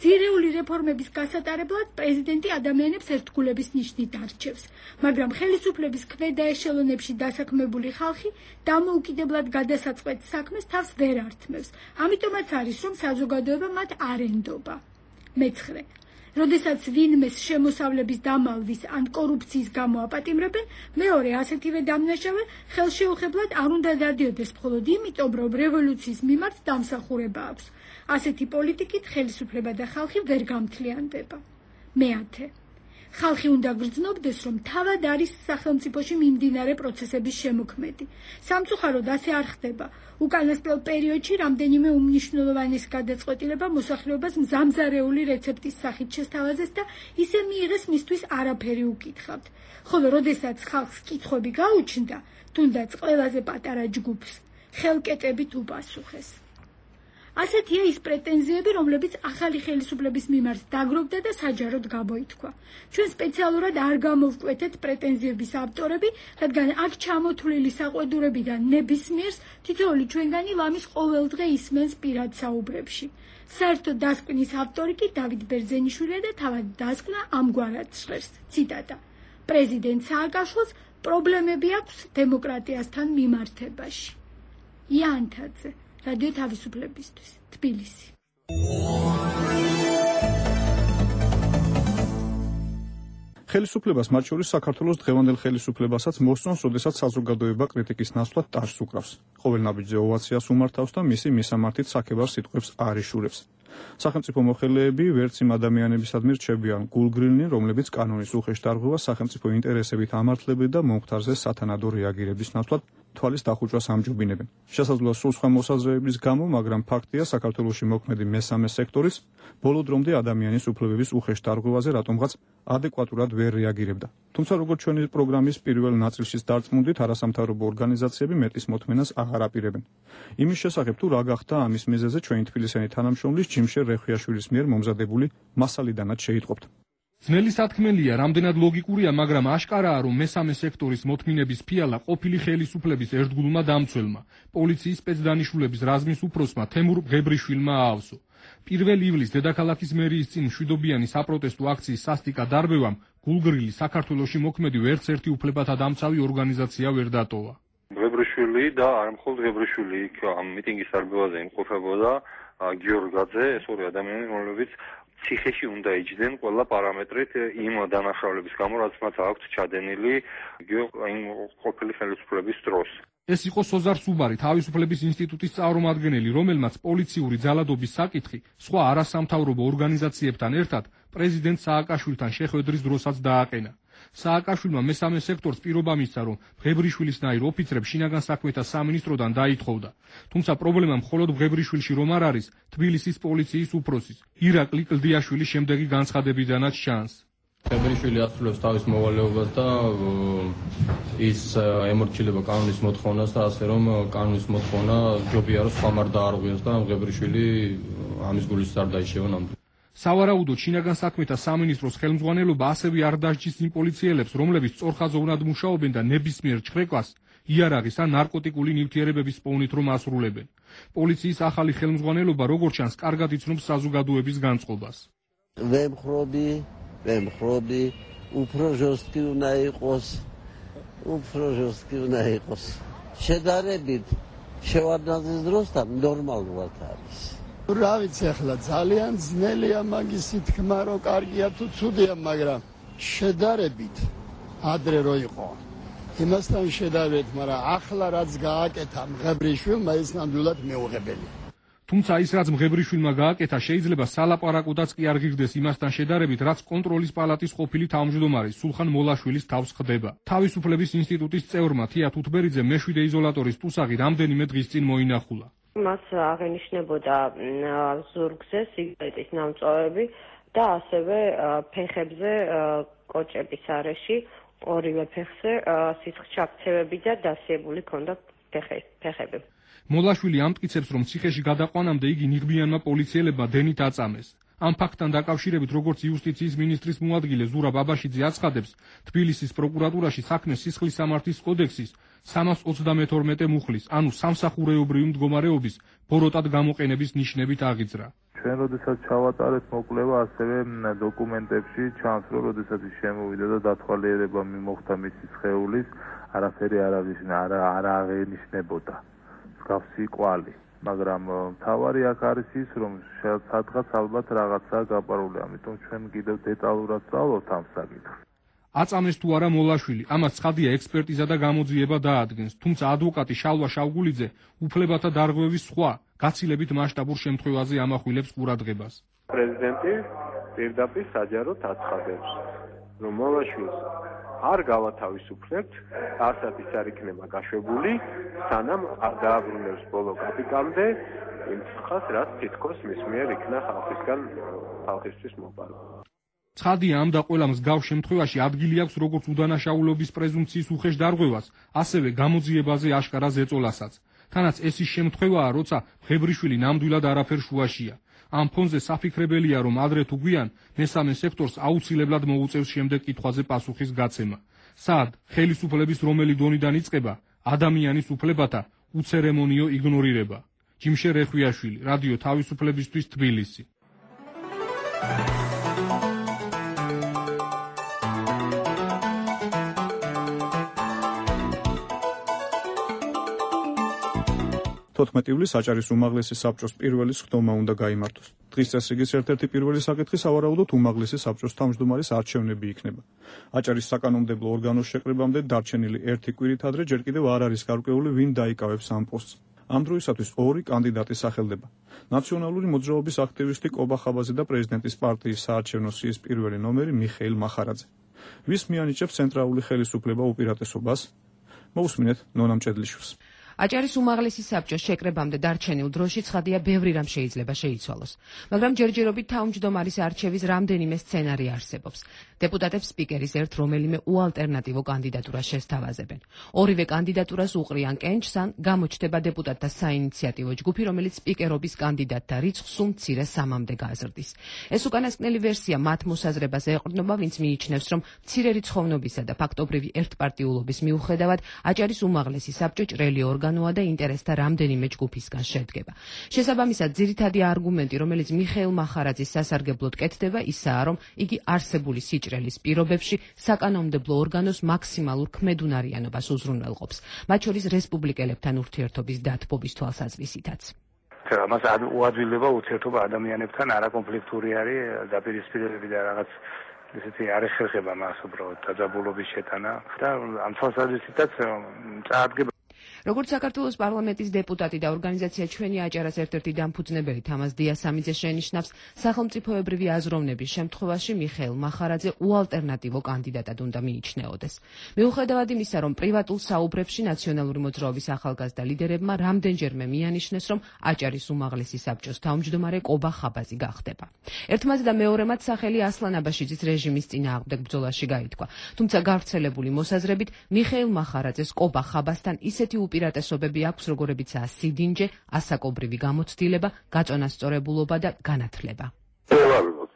ძირეული რეფორმების გასატარებლად პრეზიდენტი ადამიანებს ერთგულების ნიშნით არჩევს, მაგრამ ხელისუფლების ქვედა ეშელონებში დასაქმებული ხალხი დამოუკიდებლად გადასაწყვეტ საქმეს თავს ვერ ართმევს. ამიტომაც არის, რომ საზოგადოება მათ არ ენდობა. მეცხრე. როდესაც ვინმეს შემოსავლების დამალვის ან კორუფციის გამო აპატიმრებენ, მეორე ასეთივე დამნაშავე ხელშეუხებლად არ უნდა დადიოდეს მხოლოდ იმიტომ, რომ რევოლუციის მიმართ დამსახურება აქვს. ასეთი პოლიტიკით ხელისუფლება და ხალხი ვერ გამთლიანდება. მეათე. ხალხი უნდა გრძნობდეს, რომ თავად არის სახელმწიფოში მიმდინარე პროცესების შემოქმედი. სამწუხაროდ ასე არ ხდება. უკანასკნელ პერიოდში რამდენიმე უმნიშვნელოვანესი გადაწყვეტილება მოსახლეობას მზამზარეული რეცეპტის სახით შესთავაზეს და ისე მიიღეს მისთვის არაფერი უკითხავთ. ხოლო როდესაც ხალხს კითხვები გაუჩნდა, თუნდაც ყველაზე პატარა ჯგუფს ხელკეტებით უპასუხეს. ასეთია ის პრეტენზიები, რომლებიც ახალი ხელისუფლების მიმართ დაგროვდა და საჯაროდ გამოითქვა. ჩვენ სპეციალურად არ გამოვკვეთეთ პრეტენზიების ავტორები, რადგან აქ ჩამოთვლილი საყვედურებიდან ნებისმიერს თითოეული ჩვენგანი ლამის ყოველდღე ისმენს პირად საუბრებში. საერთო დასკვნის ავტორი კი დავით ბერძენიშვილია და თავად დასკვნა ამგვარად ჟღერს. ციტატა: პრეზიდენტ სააკაშვილს პრობლემები აქვს დემოკრატიასთან მიმართებაში. იანთაძე, რადიო თავისუფლებისთვის, თბილისი. ხელისუფლებას, მათ შორის საქართველოს დღევანდელ ხელისუფლებასაც მოსწონს, როდესაც საზოგადოება კრიტიკის ნაცვლად ტარს უკრავს. ყოველ ნაბიჯზე ოვაციას უმართავს და მისი მისამართით საქებარ სიტყვებს არ იშურებს. სახელმწიფო მოხელეები ვერც იმ ადამიანებისადმი რჩებიან გულგრილნი, რომლებიც კანონის უხეშ დარღვევას სახელმწიფო ინტერესებით ამართლებენ და მომხდარზე სათანადო რეაგირების ნაცვლად თვალის დახუჭვას ამჯობინებენ. შესაძლოა სულ სხვა მოსაზრებების გამო, მაგრამ ფაქტია, საქართველოში მოქმედი მესამე სექტორის ბოლო დრომდე ადამიანის უფლებების უხეშ დარღვევაზე რატომღაც ადეკვატურად ვერ რეაგირებდა. თუმცა როგორც ჩვენი პროგრამის პირველ ნაწილშიც დარწმუნდით, არასამთავრობო ორგანიზაციები მეტის მოთმენას აღარ აპირებენ. იმის შესახებ თუ რა გახდა ამის მიზეზი ჩვენი თბილისელი თანამშრომლის ჯიმშერ რეხვიაშვილის მიერ მომზადებული მასალიდანაც შეიტყობთ. ძნელი სათქმელია, რამდენად ლოგიკურია, მაგრამ აშკარაა, რომ მესამე სექტორის მოთმინების ფიალა ყოფილი ხელისუფლების ერთგულმა დამცველმა, პოლიციის სპეცდანიშნულების რაზმის უფროსმა თემურ ღებრიშვილმა აავსო. პირველ ივლისს დედაქალაქის მერიის წინ მშვიდობიანი საპროტესტო აქციის სასტიკად დარბევამ გულგრილი საქართველოში მოქმედი ვერცერთი უფლებათა დამცავი ორგანიზაცია ვერ დატოვა. ღებრიშვილი და არ მხოლოდ ღებრიშვილი იქ ამ მიტინგის დარბევაზე იმყოფებოდა გიორგაძე, ეს ორი ადამიანი, რომლებიც ციხეში უნდა იჯდნენ ყველა პარამეტრით იმ დანაშაულების გამო, რაც მათ აქვთ ჩადენილი იმ ყოფილი ხელისუფლების დროს. ეს იყო სოზარ სუბარი, თავისუფლების ინსტიტუტის წარმომადგენელი, რომელმაც პოლიციური ძალადობის საკითხი სხვა არასამთავრობო ორგანიზაციებთან ერთად პრეზიდენტ სააკაშვილთან შეხვედრის დროსაც დააყენა. სააკაშვილმა მესამე სექტორს პირობა მისცა, რომ ღებრიშვილისნაირ ოფიცრებს შინაგან საქმეთა სამინისტროდან დაითხოვდა. თუმცა პრობლემა მხოლოდ ღებრიშვილში რომ არ არის, თბილისის პოლიციის უფროსის ირაკლი კლდიაშვილის შემდეგი განცხადებიდანაც ჩანს. ღებრიშვილი ასრულებს თავის მოვალეობას და ის ემორჩილება კანონის მოთხოვნას და ასე რომ კანონის მოთხოვნა ჯობია რომ სხვა მარ დაარღვიოს და ღებრიშვილი ამის გულის არ დაიშევა ნამდვილად. სავარაუდოდ შინაგან საქმეთა სამინისტროს ხელმძღვანელობა ასევე არ დასჯის იმ პოლიციელებს, რომლებიც სწორხაზოვნად მუშაობენ და ნებისმიერ ჩხრეკას იარაღის ან ნარკოტიკული ნივთიერებების პოვნით რომ ასრულებენ. პოლიციის ახალი ხელმძღვანელობა როგორც ჩანს, კარგად იცნობს საზოგადოების განწყობას. ვემხრობი, ვემხრობი, უფრო ჟოსტკი უნდა იყოს, უფრო ჟოსტკი უნდა იყოს. შედარებით შევარდნაძის დროსთან ნორმალურად არის. რა ვიცი ახლა ძალიან ძნელია მაგისი თქმა რომ კარგია თუ ცუდია, მაგრამ შედარებით ადრე რო იყო იმასთან შედარებით, მაგრამ ახლა რაც გააკეთა მღებრიშვილმა ის ნამდვილად მეუღებელი. თუმცა ის რაც მღებრიშვილმა გააკეთა შეიძლება სალაპარაკოდაც კი არ ღირდეს იმასთან შედარებით, რაც კონტროლის პალატის ყოფილი თავმჯდომარის სულხან მოლაშვილის თავს ხდება. თავისუფლების ინსტიტუტის წევრმა თია თუთბერიძე მეშვიდე იზოლატორის ტუსაღი რამდენიმე დღის წინ მოინახულა. მას აღენიშნებოდა ზურგზე სიგარეტის ნამწვავები და ასევე ფეხებზე კოჭების არეში, ორივე ფეხზე სისხლჩაქცევები და დასიებული ჰქონდა ფეხები. მოლაშვილი ამტკიცებს, რომ ციხეში გადაყვანამდე იგი ნიღბიანმა პოლიციელებმა დენით აწამეს. ამ ფაქტთან დაკავშირებით, როგორც იუსტიციის მინისტრის მოადგილე ზურაბ აბაშიძე აცხადებს, თბილისის პროკურატურაში საქმეს სისხლის სამართლის კოდექსის სამას ოცდამეთორმეტე მუხლის, ანუ სამსახურეობრივი მდგომარეობის ბოროტად გამოყენების ნიშნებით აღიძრა. ჩვენ როდესაც ჩავატარეთ მოკვლევა, ასევე დოკუმენტებში ჩანს, რომ როდესაც ის შემოვიდა და დათვალიერება მიმოხდა მისი სხეულის, არაფერი არ აღენიშნებოდა მსგავსი კვალი. მაგრამ მთავარი აქ არის ის, რომ სადღაც ალბათ რაღაცაა გაპარული, ამიტომ ჩვენ კიდევ დეტალურად ვსწავლობთ ამ საკითხს. აწამეს თუ არა მოლაშვილი, ამას ცხადია ექსპერტიზა და გამოძიება დაადგენს, თუმცა ადვოკატი შალვა შავგულიძე უფლებათა დარღვევის სხვა, გაცილებით მასშტაბურ შემთხვევაზე ამახვილებს ყურადღებას. პრეზიდენტი პირდაპირ საჯაროდ აცხადებს, რომ მოლაშვილს არ გავათავისუფლებთ, არცად ის არ იქნება გაშვებული, სანამ არ დააბრუნებს ბოლო კაპიტალამდე იმ ხას, რაც თითქოს მის მიერ იქნა ხალხისგან ხალხისთვის მოპარვა. ცხადია ამ და ყველა მსგავს შემთხვევაში ადგილი აქვს როგორც უდანაშაულობის პრეზუმპციის უხეშ დარღვევას, ასევე გამოძიებაზე აშკარა ზეწოლასაც. თანაც ეს ის შემთხვევაა, როცა ღებრიშვილი ნამდვილად არაფერ შუაშია. ამ ფონზე საფიქრებელია, რომ ადრე თუ გვიან მესამე სექტორს აუცილებლად მოუწევს შემდეგ კითხვაზე პასუხის გაცემა. სად ხელისუფლების რომელი დონიდან იწყება ადამიანის უფლებათა უცერემონიო იგნორირება. ჯიმშე რეხვიაშვილი, რადიო თავისუფლებისთვის, თბილისი. თოთხმეტი ივლისს აჭარის უმაღლესი საბჭოს პირველი სხდომა უნდა გაიმართოს. დღის წესრიგის ერთ-ერთი პირველი საკითხი სავარაუდოდ უმაღლესი საბჭოს თავმჯდომარის არჩევნები იქნება. აჭარის საკანონმდებლო ორგანოს შეკრებამდე დარჩენილი ერთი კვირით ადრე ჯერ კიდევ არ არის გარკვეული, ვინ დაიკავებს ამ პოსტს. ამ დროისათვის ორი კანდიდატი სახელდება. ნაციონალური მოძრაობის აქტივისტი კობა ხაბაძე და პრეზიდენტის პარტიის საარჩევნო სიის პირველი ნომერი მიხეილ მახარაძე. ვის მიანიჭებს ცენტრალური ხელისუფლება უპირატესობას? მოусმინეთ ნონა მჭედლიშვილს. აჭარის უმაღლესი საბჭოს შეკრებამდე დარჩენილ დროში ცხადია ბევრი რამ შეიძლება შეიცვალოს, მაგრამ ჯერჯერობით თავმჯდომარის არჩევის რამდენიმე სცენარი არსებობს. დეპუტატებს სპიკერის ერთ რომელიმე უალტერნატივო კანდიდატურას შესთავაზებენ. ორივე კანდიდატურას უყრიან კენჭს ან გამოჩნდება დეპუტატთა საინიციატივო ჯგუფი, რომელიც სპიკერობის კანდიდატთა რიცხვს სულ მცირე სამამდე გაზრდის. ეს უკანასკნელი ვერსია მათ მოსაზრებას ეყრდნობა, ვინც მიიჩნევს, რომ მცირე რიცხოვნობისა და ფაქტობრივი ერთპარტიულობის მიუხედავად აჭარის უმაღლესი საბჭო ჭრელი ორგანოა და ინტერესთა რამდენიმე ჯგუფისგან შედგება. შესაბამისად, ძირითადი არგუმენტი, რომელიც მიხეილ მახარაძის სასარგებლოდ კეთდება, ისაა, რომ იგი არსებული სიჭრელის პირობებში საკანონმდებლო ორგანოს მაქსიმალურ ქმედუნარიანობას უზრუნველყოფს, მათ შორის რესპუბლიკელებთან ურთიერთობის დათბობის თვალსაზრისითაც. მას უადვილება ურთიერთობა ადამიანებთან არაკონფლიქტური არის, დაპირისპირებები და რაღაც ესეთი არ ეხერხება მას უბრალოდ დაძაბულობის შეტანა და ამ თვალსაზრისითაც წარადგება. როგორც საქართველოს პარლამენტის დეპუტატი და ორგანიზაცია ჩვენი აჭარას ერთ-ერთი დამფუძნებელი თამაზ დიასამიძე შენიშნავს, სახელმწიფოებრივი აზროვნების შემთხვევაში მიხეილ მახარაძე უალტერნატივო კანდიდატად უნდა მიიჩნეოდეს. მიუხედავად იმისა, რომ პრივატულ საუბრებში ნაციონალური მოძრაობის ახალგაზრდა ლიდერებმა რამდენჯერმე მიანიშნეს, რომ აჭარის უმაღლესი საბჭოს თავმჯდომარე კობა ხაბაზი გახდება. ერთმანეთს და მეორემაც სახელი ასლან აბაშიძის რეჟიმის წინააღმდეგ ბრძოლაში გაითქვა, თუმცა გავრცელებული მოსაზრებით მიხეილ მახარაძეს კობა ხაბასთან ისეთი უპირატესობები აქვს, როგორებიცაა სიდინჯე, ასაკობრივი გამოცდილება, გაწონასწორებულობა და განათლება.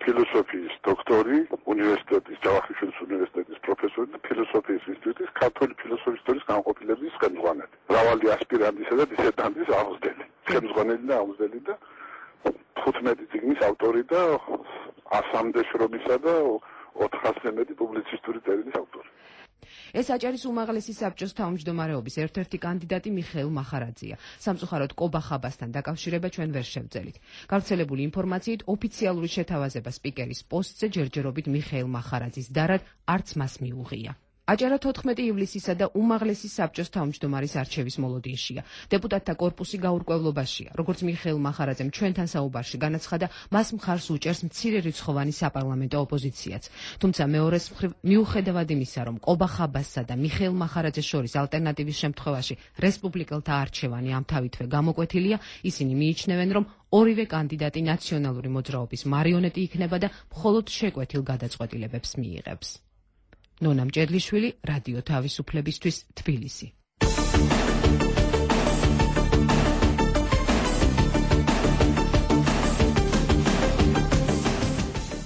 ფილოსოფიის დოქტორი, უნივერსიტეტის ჯავახიშვილის უნივერსიტეტის პროფესორი და ფილოსოფიის ინსტიტუტის ქართული ფილოსოფიის ისტორიის განყოფილების ხელმძღვანელი. მრავალი ასპირანტისა და დისერტანტის აღმზრდელი. ხელმძღვანელი და აღმზრდელი და თხუთმეტი წიგნის ავტორი და ასამდე შრომისა და ოთხასზე მეტი პუბლიცისტური წერილის ავტორი. ეს აჭარის უმაღლესი საბჭოს თავმჯდომარეობის ერთ-ერთი კანდიდატი მიხეილ მახარაძეა. სამწუხაროდ კობა ხაბასთან დაკავშირება ჩვენ ვერ შევძელით. გავრცელებული ინფორმაციით, ოფიციალური შეთავაზება სპიკერის პოსტზე ჯერჯერობით მიხეილ მახარაძის დარად არც მას მიუღია. აჭარა თოთხმეტი ივლისისა და უმაღლესი საბჭოს თავმჯდომარის არჩევის მოლოდინშია. დეპუტატთა კორპუსი გაურკვევლობაშია. როგორც მიხეილ მახარაძემ ჩვენთან საუბარში განაცხადა, მას მხარს უჭერს მცირერიცხოვანი საპარლამენტო ოპოზიციაც. თუმცა მეორეს მხრივ, მიუხედავად იმისა, რომ კობა ხაბასსა და მიხეილ მახარაძეს შორის ალტერნატივის შემთხვევაში რესპუბლიკელთა არჩევანი ამთავითვე გამოკვეთილია, ისინი მიიჩნევენ, რომ ორივე კანდიდატი ნაციონალური მოძრაობის მარიონეტი იქნება და მხოლოდ შეკვეთილ გადაწყვეტილებებს მიიღებს. ნონა მჭედლიშვილი, რადიო თავისუფლებისთვის, თბილისი.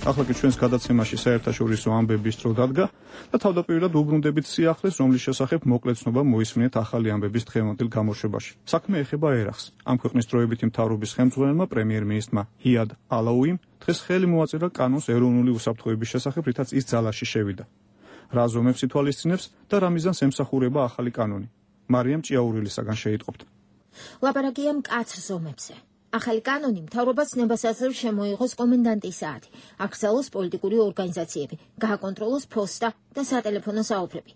ახლა კი ჩვენს გადაცემაში საერთაშორისო ამბების დრო დადგა და თავდაპირველად უბრუნდებით სიახლეს, რომლის შესახებ მოკლე ცნობა მოისმინეთ ახალი ამბების დღევანდელ გამოშვებაში. საქმე ეხება ერახს. ამ ქვეყნის დროებითი მთავრობის ხელმძღვანელმა პრემიერ-მინისტრმა იად ალაუიმ დღეს ხელი მოაწერა კანონს ეროვნული უსაფრთხოების შესახებ, რითაც ის ძალაში შევიდა. რა ზომებს ითვალისწინებს და რა მიზანს ემსახურება ახალი კანონი. მარიამ ჭიაურილისაგან შეიტყობთ. ლაპარაკია მკაცრ ზომებზე. ახალი კანონი მთავრობას ცნებას აძლევს შემოიღოს კომენდანტის საათი, აკრძალოს პოლიტიკური ორგანიზაციები, გააკონტროლოს ფოსტა და სატელეფონო საუბრები.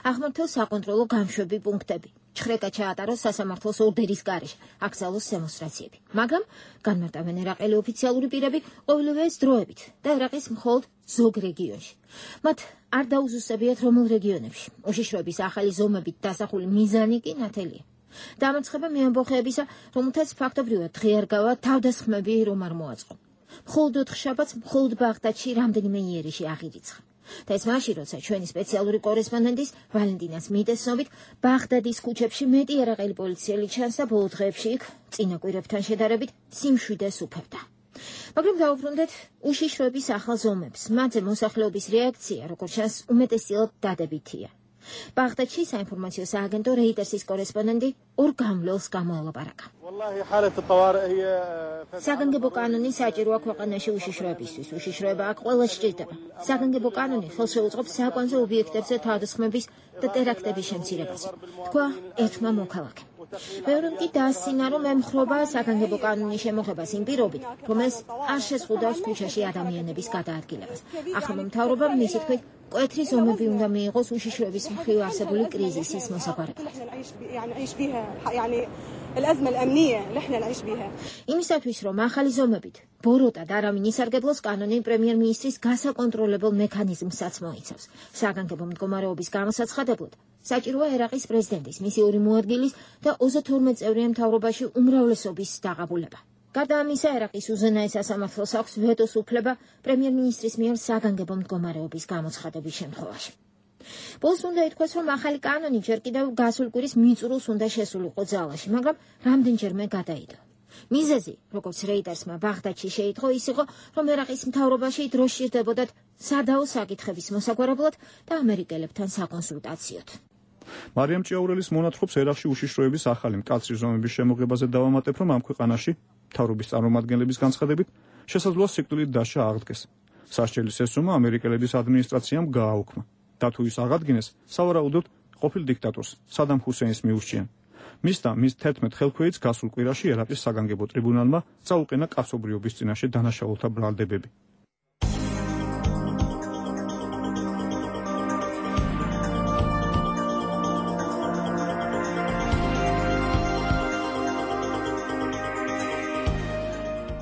აღმართოს საკონტროლო გამშვები პუნქტები. ჩხრეკა ჩაატაროს სასამართლოს ორდერის გარეშე, აკრძალოს დემონსტრაციები. მაგრამ განმარტავენ ერაყელი ოფიციალური პირები ყოველივე ეს დროებით და ერაყის მხოლოდ ზოგ რეგიონში. მათ არ დაუზუსტებიათ რომელ რეგიონებში. უშიშროების ახალი ზომებით დასახული მიზანი კი ნათელია. დამარცხება მეამბოხეებისა, რომელთაც ფაქტობრივად დღე არ გავა თავდასხმები რომ არ მოაწყო. მხოლოდ ოთხშაბათს მხოლოდ ბაღდადში რამდენიმე იერიში აღირიცხა. და ეს მაშინ, როცა ჩვენი სპეციალური კორესპონდენტის ვალენტინას მიტესნობით ბაღდადის ქუჩებში მეტი ერაყელი პოლიციელი ჩანს და ბოლო დღეებში იქ წინა კვირებთან შედარებით სიმშვიდეს უფევდა. მაგრამ დავუბრუნდეთ უშიშროების ახალ ზომებს. მათზე მოსახლეობის რეაქცია, როგორც ჩანს, უმეტესწილად დადებითია. ბაღდადში საინფორმაციო სააგენტო რეიტერსის კორესპონდენტი ორ გამლელს გამოელაპარაკა. საგანგებო კანონი საჭიროა ქვეყანაში უშიშროებისთვის. უშიშროება აქ ყველა სჭირდება. საგანგებო კანონი ხელს შეუწყობს საკვანძო ობიექტებზე თავდასხმების და ტერაქტების შემცირებას, თქვა ერთმა მოქალაქემ. მეორემ კი დაასცინა, რომ ემხრობა საგანგებო კანონის შემოღებას იმ პირობით, რომელიც არ შეზღუდავს ქუჩაში ადამიანების გადაადგილებას. ახალმა მთავრობამ მისი თქმით მკვეთრი ზომები უნდა მიიღოს უშიშროების მხრივ არსებული კრიზისის მოსაგვარებლად. იმისათვის, რომ ახალი ზომებით ბოროტად არავინ ისარგებლოს, კანონი პრემიერ-მინისტრის გასაკონტროლებელ მექანიზმსაც მოიცავს. საგანგებო მდგომარეობის გამოსაცხადებლად საჭიროა ერაყის პრეზიდენტის, მისი ორი მოადგილის და ოცდაათი წევრიან მთავრობაში უმრავლესობის დაღაბულება. გარდა ამისა, ერაყის უზენაეს სასამართლოს აქვს ვეტოს უფლება პრემიერ-მინისტრის მიერ საგანგებო მდგომარეობის გამოცხადების შემთხვევაში. ბოლოს უნდა ითქვას, რომ ახალი კანონი ჯერ კიდევ გასულ კვირის მიწურულს უნდა შესულიყო ძალაში, მაგრამ რამდენჯერმე გადაიდო. მიზეზი, როგორც რეიდერსმა ბაღდადში შეიტყო, ის იყო, რომ ერაყის მთავრობაში დრო სჭირდებოდათ სადაო საკითხების მოსაგვარებლად და ამერიკელებთან საკონსულტაციოდ. მარიამ ჭიაურელის მონათხრობს ერაყში უშიშროების ახალი მკაცრი ზომების შემოღებაზე დავამატებ, რომ ამ ქვეყანაში მთავრობის წარმომადგენლების განცხადებით შესაძლოა სიკვდილით დასჯა აღდგეს. სასჯელის ეს სუმა ამერიკელების ადმინისტრაციამ გააუქმა. და თუ ის აღადგინეს, სავარაუდოდ ყოფილ დიქტატორს სადამ ჰუსეინს მიურჩიან. მის და მის თერთმეტ ხელქვეითს გასულ კვირაში ერაყის საგანგებო ტრიბუნალმა წაუყენა კაცობრიობის წინაშე დანაშაულთა ბრალდებები.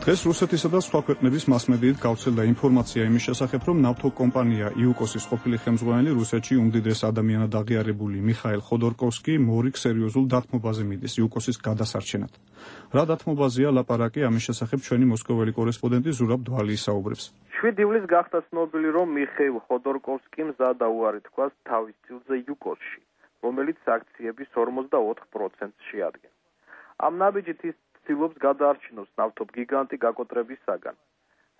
დღეს რუსეთისა და სხვა ქვეყნების მასმედიით გავრცელდა ინფორმაცია იმის შესახებ, რომ ნავთო კომპანია იუკოსის ყოფილი ხელმძღვანელი რუსეთში უმდიდრეს ადამიანად აღიარებული მიხაილ ხოდორკოვსკი მორიგ სერიოზულ დათმობაზე მიდის იუკოსის გადასარჩენად. რა დათმობაზეა ლაპარაკი, ამის შესახებ ჩვენი მოსკოველი კორესპონდენტი ზურაბ დვალი ისაუბრებს. შვიდი ივლისს გახდა ცნობილი, რომ მიხეილ ხოდორკოვსკიმ მზადა უარი თქვას თავის წილზე იუკოსში, რომელიც აქციების ორმოცდაოთხ პროცენტს შეადგენს. ამ ნაბიჯით ის ცდილობს გადაარჩინოს ნავთობ გიგანტი გაკოტრებისაგან,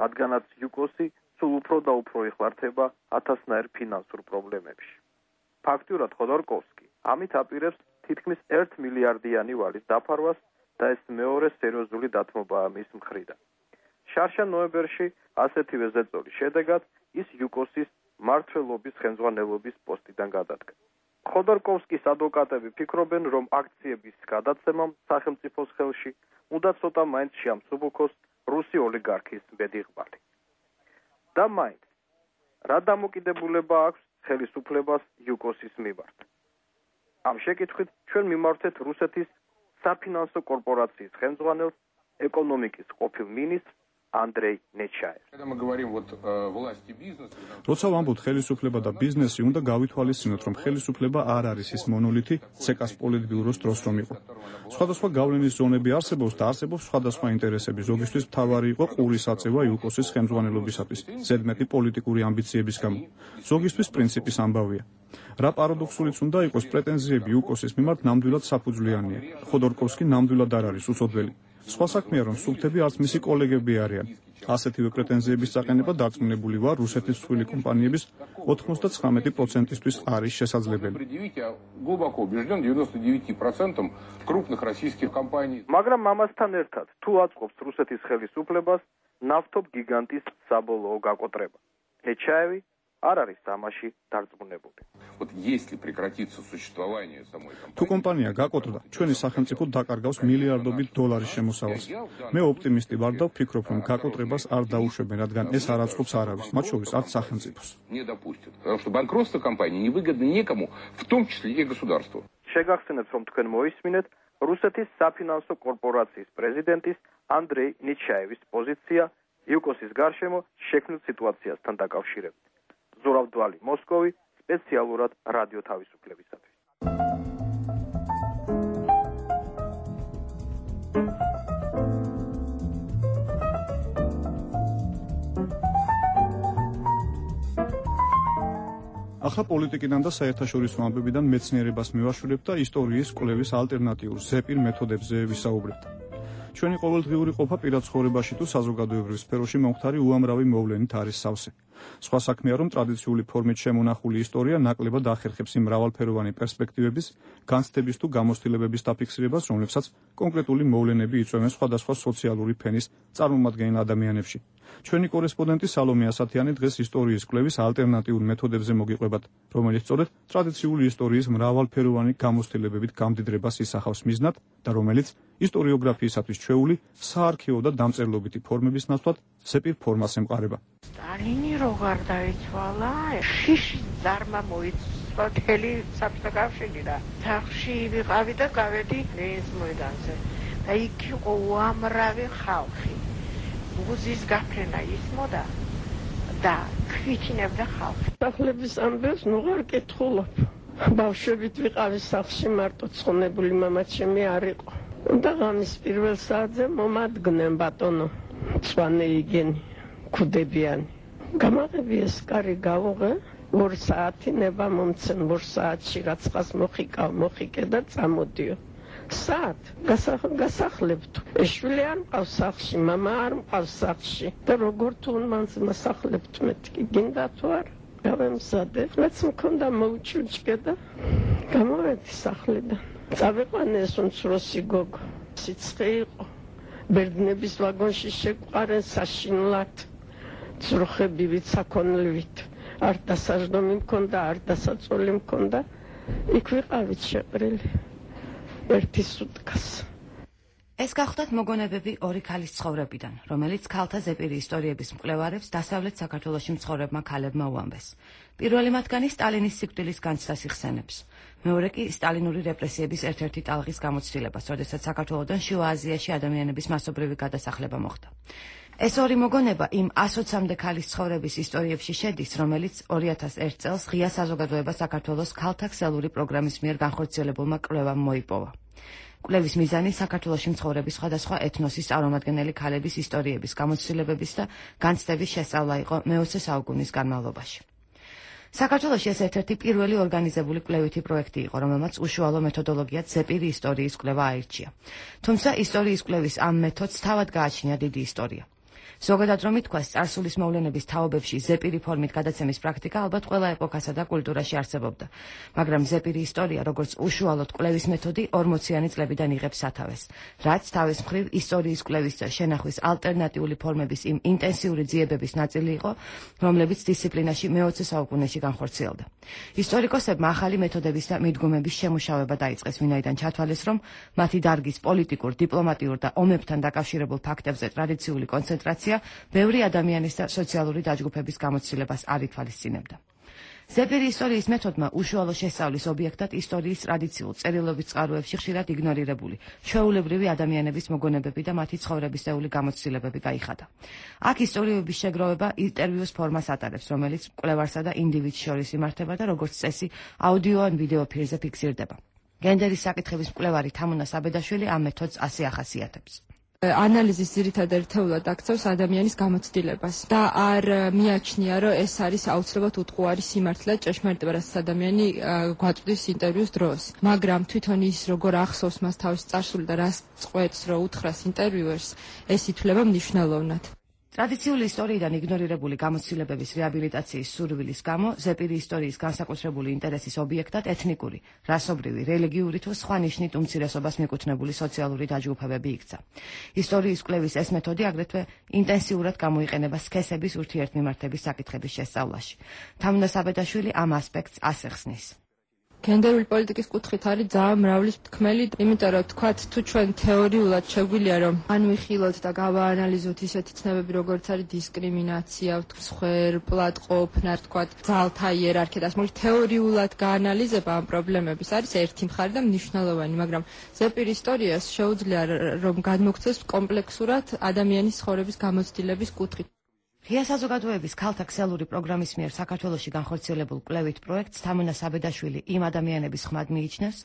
რადგანაც იუკოსი სულ უფრო და უფრო იხლართება ათასნაირ ფინანსურ პრობლემებში. ფაქტურად ხოდორკოვსკი ამით აპირებს თითქმის ერთ მილიარდიანი ვალის დაფარვას და ეს მეორე სერიოზული დათმობაა მის მხრიდან. შარშა ნოემბერში ასეთივე ზეწოლის შედეგად ის იუკოსის მმართველობის ხელმძღვანელობის პოსტიდან გადადგა. ხოდორკოვსკის ადვოკატები ფიქრობენ, რომ აქციების გადაცემამ სახელმწიფოს ხელში უნდა ცოტა მაინც შეამსუბუქოს რუსი ოლიგარქის ბედიღბალი. და მაინც, რა დამოკიდებულება აქვს ხელისუფლებას იუკოსის მიმართ? ამ შეკითხვით ჩვენ მიმართეთ რუსეთის საფინანსო კორპორაციის ხელმძღვანელს, ეკონომიკის ყოფილ მინისტრს ანდრეი ნეჩაევს. როცა ვამბობთ ხელისუფლება და ბიზნესი, უნდა გავითვალისწინოთ, რომ ხელისუფლება არ არის ის მონოლითი ცეკას პოლიტბიუროს დროს რომ იყო. სხვადასხვა გავლენის ზონები არსებობს და არსებობს სხვადასხვა ინტერესები. ზოგისთვის მთავარი იყო ყურის აწევა იუკოსის ხელმძღვანელობისათვის, ზედმეტი პოლიტიკური ამბიციების გამო. ზოგისთვის პრინციპის ამბავია. რა პარადოქსულიც უნდა იყოს, პრეტენზიები იუკოსის მიმართ ნამდვილად საფუძვლიანია. ხოდორკოვსკი ნამდვილად არ არის უცოდველი. სხვა საქმეა, რომ სულთები არც მისი კოლეგები არიან. ასეთივე პრეტენზიების წაყენება დარწმუნებული ვარ, რუსეთის მსხვილი კომპანიების ოცდათხმეტ პროცენტისთვის არის შესაძლებელი. მაგრამ ამასთან ერთად, თუ აწყობს რუსეთის ხელისუფლებას ნავთობ გიგანტის საბოლოო გაკოტრება, ნეჩაევი არ არის ამაში დარწმუნებული. თუ კომპანია გაკოტრდა, ჩვენი სახელმწიფო დაკარგავს მილიარდობით დოლარის შემოსავალს. მე ოპტიმისტი ვარ და ვფიქრობ, რომ გაკოტრებას არ დაუშვებენ, რადგან ეს არ აწყობს არავის, მათ შორის არც სახელმწიფოს. შეგახსენებთ, რომ თქვენ მოისმინეთ რუსეთის საფინანსო კორპორაციის პრეზიდენტის ანდრეი ნეჩაევის პოზიცია იუკოსის გარშემო შექმნილ სიტუაციასთან დაკავშირებით. ზურაბ დვალი, მოსკოვი, სპეციალურად რადიო თავისუფლებისათვის. ახლა პოლიტიკიდან და საერთაშორისო ამბებიდან მეცნიერებას მივაშურებთ და ისტორიის კვლევის ალტერნატიულ ზეპირ მეთოდებზე ვისაუბრებთ. ჩვენი ყოველდღიური ყოფა პირად ცხოვრებაში თუ საზოგადოებრივ სფეროში მომხდარი უამრავი მოვლენით არის სავსე. სხვა საქმეა, რომ ტრადიციული ფორმით შემონახული ისტორია ნაკლებად ახერხებს იმ მრავალფეროვანი პერსპექტივების, განცდების თუ გამოცდილებების დაფიქსირებას, რომლებსაც კონკრეტული მოვლენები იწვევენ სხვადასხვა სოციალური ფენის წარმომადგენელ ადამიანებში. ჩვენი კორესპონდენტი სალომე ასათიანი დღეს ისტორიის კვლევის ალტერნატიულ მეთოდებზე მოგიყვებათ, რომელიც სწორედ ტრადიციული ისტორიის მრავალფეროვანი გამოცდილებებით გამდიდრებას ისახავს მიზნად და რომელიც ისტორიოგრაფიისათვის ჩვეული საარქივო და დამწერლობითი ფორმების ნაცვლად ზეპირ ფორმას ემყარება. სტალინი რო გარდაიცვალა, შიში ზარმა მოიცვა მთელი საბჭოთა კავშირი რა. თახში ვიყავი და გავედი ლენინის მოედანზე. და იქ იყო უამრავი ხალხი. მუზის გაფრენა ისმოდა და ქვითინებდა ხალხი. სახლების ამბებს ნუღარ კითხულობ. ბავშვებით ვიყავი სახლში, მარტო ცხონებული მამაჩემი არ იყო. და ღამის პირველ საათზე მომადგნენ ბატონო სვანეიგენი ქუდებიანი. გამაღები ეს კარი გავუღე, ორ საათი ნება მომცენ, ორ საათში რაცხას მოხიკავ, მოხიკე და წამოდიო. საათ გასახლებთ. ეშვილი არ მყავს სახლში, მამა არ მყავს სახლში. და როგორ თუ მანს მასახლებთ მეთქი, გინდა თუ არ? გავემზადე. რაც მქონდა მოუჩუჩკე და გამოვედი სახლიდან. წავიყვანე ეს უმცროსი გოგო. სიცხე იყო. ბერძნების ვაგონში შეგვყარენ საშინლად. ძროხებივით, საქონლივით. არ დასაჯდომი მქონდა, არ დასაწოლი მქონდა. იქ ვიყავით შეყრილი. ერთი სუტკას. ეს გახლდათ მოგონებები ორი ქალის ცხოვრებიდან, რომელიც ქალთა ზეპირი ისტორიების მკვლევარებს დასავლეთ საქართველოში მცხოვრებმა ქალებმა უამბეს. პირველი მათგანი სტალინის სიკვდილის განცდას იხსენებს. მეორე კი სტალინური რეპრესიების ერთ-ერთი ტალღის გამოცდილებას, როდესაც საქართველოდან შუა აზიაში ადამიანების მასობრივი გადასახლება მოხდა. ეს ორი მოგონება იმ ასოცამდე ქალის ცხოვრების ისტორიებში შედის, რომელიც ორი ათას ერთ წელს ღია საზოგადოება საქართველოს ქალთა ქსელური პროგრამის მიერ განხორციელებულმა კვლევამ მოიპოვა. კვლევის მიზანი საქართველოში მცხოვრების სხვადასხვა ეთნოსის წარმომადგენელი ქალების ისტორიების, გამოცდილებების და განცდების შესწავლა იყო მეოცე საუკუნის განმავლობაში. საქართველოში ეს ერთ-ერთი პირველი ორგანიზებული კვლევითი პროექტი იყო, რომელმაც უშუალო მეთოდოლოგიად ზეპირი ისტორიის კვლევა აირჩია. თუმცა ისტორიის კვლევის ამ მეთოდს თავად გააჩნია დიდი ისტორია. ზოგადად რომ ითქვას, წარსულის მოვლენების თაობებში ზეპირი ფორმით გადაცემის პრაქტიკა ალბათ ყველა ეპოქასა და კულტურაში არსებობდა, მაგრამ ზეპირი ისტორია, როგორც უშუალოდ კვლევის მეთოდი, ორმოციანი წლებიდან იღებს სათავეს, რაც თავის მხრივ ისტორიის კვლევის და შენახვის ალტერნატიული ფორმების იმ ინტენსიური ძიებების ნაწილი იყო, რომლებიც დისციპლინაში მეოცე საუკუნეში განხორციელდა. ისტორიკოსებმა ახალი მეთოდების და მიდგომების შემუშავება დაიწყეს, ვინაიდან ჩათვალეს, რომ მათი დარგის პოლიტიკურ, დიპლომატიურ და ომებთან დაკავშირებულ ფაქტებზე ტრადიციული კონცენტრაცია ბევრი ადამიანის და სოციალური დაჯგუფების გამოცდილებას არ ითვალისწინებდა. ზეპირი ისტორიის მეთოდმა უშუალო შესწავლის ობიექტად ისტორიის ტრადიციულ წერილობით წყაროებში ხშირად იგნორირებული ჩვეულებრივი ადამიანების მოგონებები და მათი ცხოვრებისეული გამოცდილებები გაიხადა. აქ ისტორიების შეგროვება ინტერვიუს ფორმას ატარებს, რომელიც მკვლევარსა და ინდივიდს შორის იმართება და როგორც წესი აუდიო ან ვიდეო ფირზე ფიქსირდება. გენდერის საკითხების მკვლევარი თამუნა საბედაშვილი ამ მეთოდს ასე ახასიათებს. ანალიზის ძირითად ერთეულად აქცევს ადამიანის გამოცდილებას და არ მიაჩნია, რომ ეს არის აუცილებლად უტყუარი სიმართლე ჭეშმარიტება, რაც ადამიანი გვაწვდის ინტერვიუს დროს. მაგრამ თვითონ ის როგორ ახსოვს მას თავის წარსული და რას წყვეტს, რომ უთხრას ინტერვიუერს, ეს ითვლება მნიშვნელოვნად. ტრადიციული ისტორიიდან იგნორირებული გამოცდილებების რეაბილიტაციის სურვილის გამო ზეპირი ისტორიის განსაკუთრებული ინტერესის ობიექტად ეთნიკური, რასობრივი, რელიგიური თუ სხვა ნიშნით უმცირესობას მიკუთვნებული სოციალური დაჯგუფებები იქცა. ისტორიის კვლევის ეს მეთოდი აგრეთვე ინტენსიურად გამოიყენება სქესების ურთიერთმიმართების საკითხების შესწავლაში. თამუნა საბედაშვილი ამ ასპექტს ასე ხსნის. გენდერული პოლიტიკის კუთხით არის ძალიან მრავლის თქმელი, იმიტომ რომ თქვათ თუ ჩვენ თეორიულად შეგვიძლია რომ ანვიხილოთ და გავაანალიზოთ ისეთი ცნებები, როგორც არის დისკრიმინაცია, მსხვერპლად ყოფნა, თქვათ ძალთა იერარქია და ამავდროულად თეორიულად გაანალიზება ამ პრობლემების არის ერთი მხარე და მნიშვნელოვანი, მაგრამ ზეპირი ისტორიას შეუძლია რომ გადმოგვცეს კომპლექსურად ადამიანის ცხოვრების გამოცდილების კუთხით. ღია საზოგადოების ქალთა ქსელური პროგრამის მიერ საქართველოში განხორციელებულ კვლევით პროექტს თამუნა საბედაშვილი იმ ადამიანების ხმად მიიჩნევს,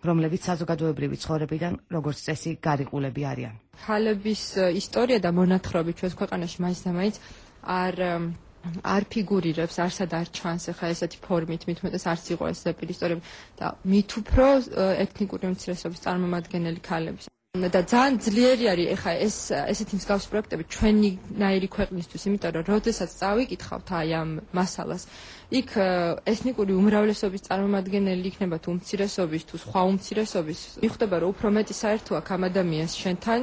რომლებიც საზოგადოებრივი ცხოვრებიდან როგორც წესი გარიყულები არიან. ქალების ისტორია და მონათხრობი ჩვენს ქვეყანაში მაინც და მაინც არ არ ფიგურირებს, არსად არ ჩანს ახლა ესეთი ფორმით, მით უმეტეს არც იყო ეს ზეპირ ისტორიები და მით უფრო ეთნიკური უმცირესობის წარმომადგენელი ქალების. და ძალიან ძლიერი არის ახლა ეს ესეთი მსგავსი პროექტები ჩვენნაირი ქვეყნისთვის, იმიტომ რომ როდესაც წავიკითხავთ აი ამ მასალას, იქ ეთნიკური უმრავლესობის წარმომადგენელი იქნება თუ უმცირესობის თუ სხვა უმცირესობის, მიხვდება რომ უფრო მეტი საერთო აქვს ამ ადამიანს შენთან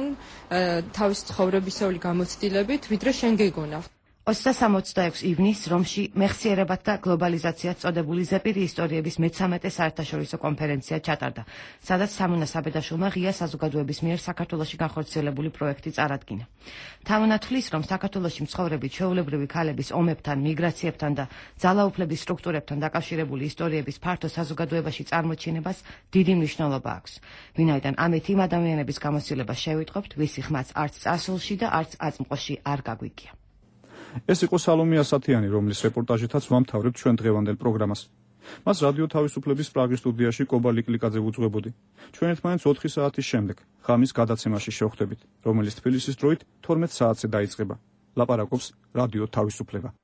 თავის ცხოვრებისეული გამოცდილებით, ვიდრე შენ გეგონა. ოცდაათი სამოცდაექვსი ივნის რომში მეხსიერებათ და გლობალიზაციას წოდებული ზეპირი ისტორიების მეცამეტე საერთაშორისო კონფერენცია ჩატარდა, სადაც სამონა საბედაშვილმა ღია საზოგადოების მიერ საქართველოში განხორციელებული პროექტი წარადგინა. თამონა თვლის, რომ საქართველოში მცხოვრები ჩვეულებრივი ქალების ომებთან, მიგრაციებთან და ძალაუფლების სტრუქტურებთან დაკავშირებული ისტორიების ფართო საზოგადოებაში წარმოჩინებას დიდი მნიშვნელობა აქვს. ვინაიდან ამით იმ ადამიანების გამოცდილებას შევიტყობთ, ვისი ხმაც არც წარსულში და არც აწმყოში არ გაგვიგია. ეს იყო სალომე ასათიანი, რომლის რეპორტაჟითაც ვამთავრებთ ჩვენ დღევანდელ პროგრამას. მას რადიო თავისუფლების პრაღის სტუდიაში კობა ლიკლიკაძე ვუძღვებოდი. ჩვენ ერთმანეთს ოთხი საათის შემდეგ ღამის გადაცემაში შევხვდებით, რომელიც თბილისის დროით თორმეტ საათზე დაიწყება. ლაპარაკობს რადიო თავისუფლება.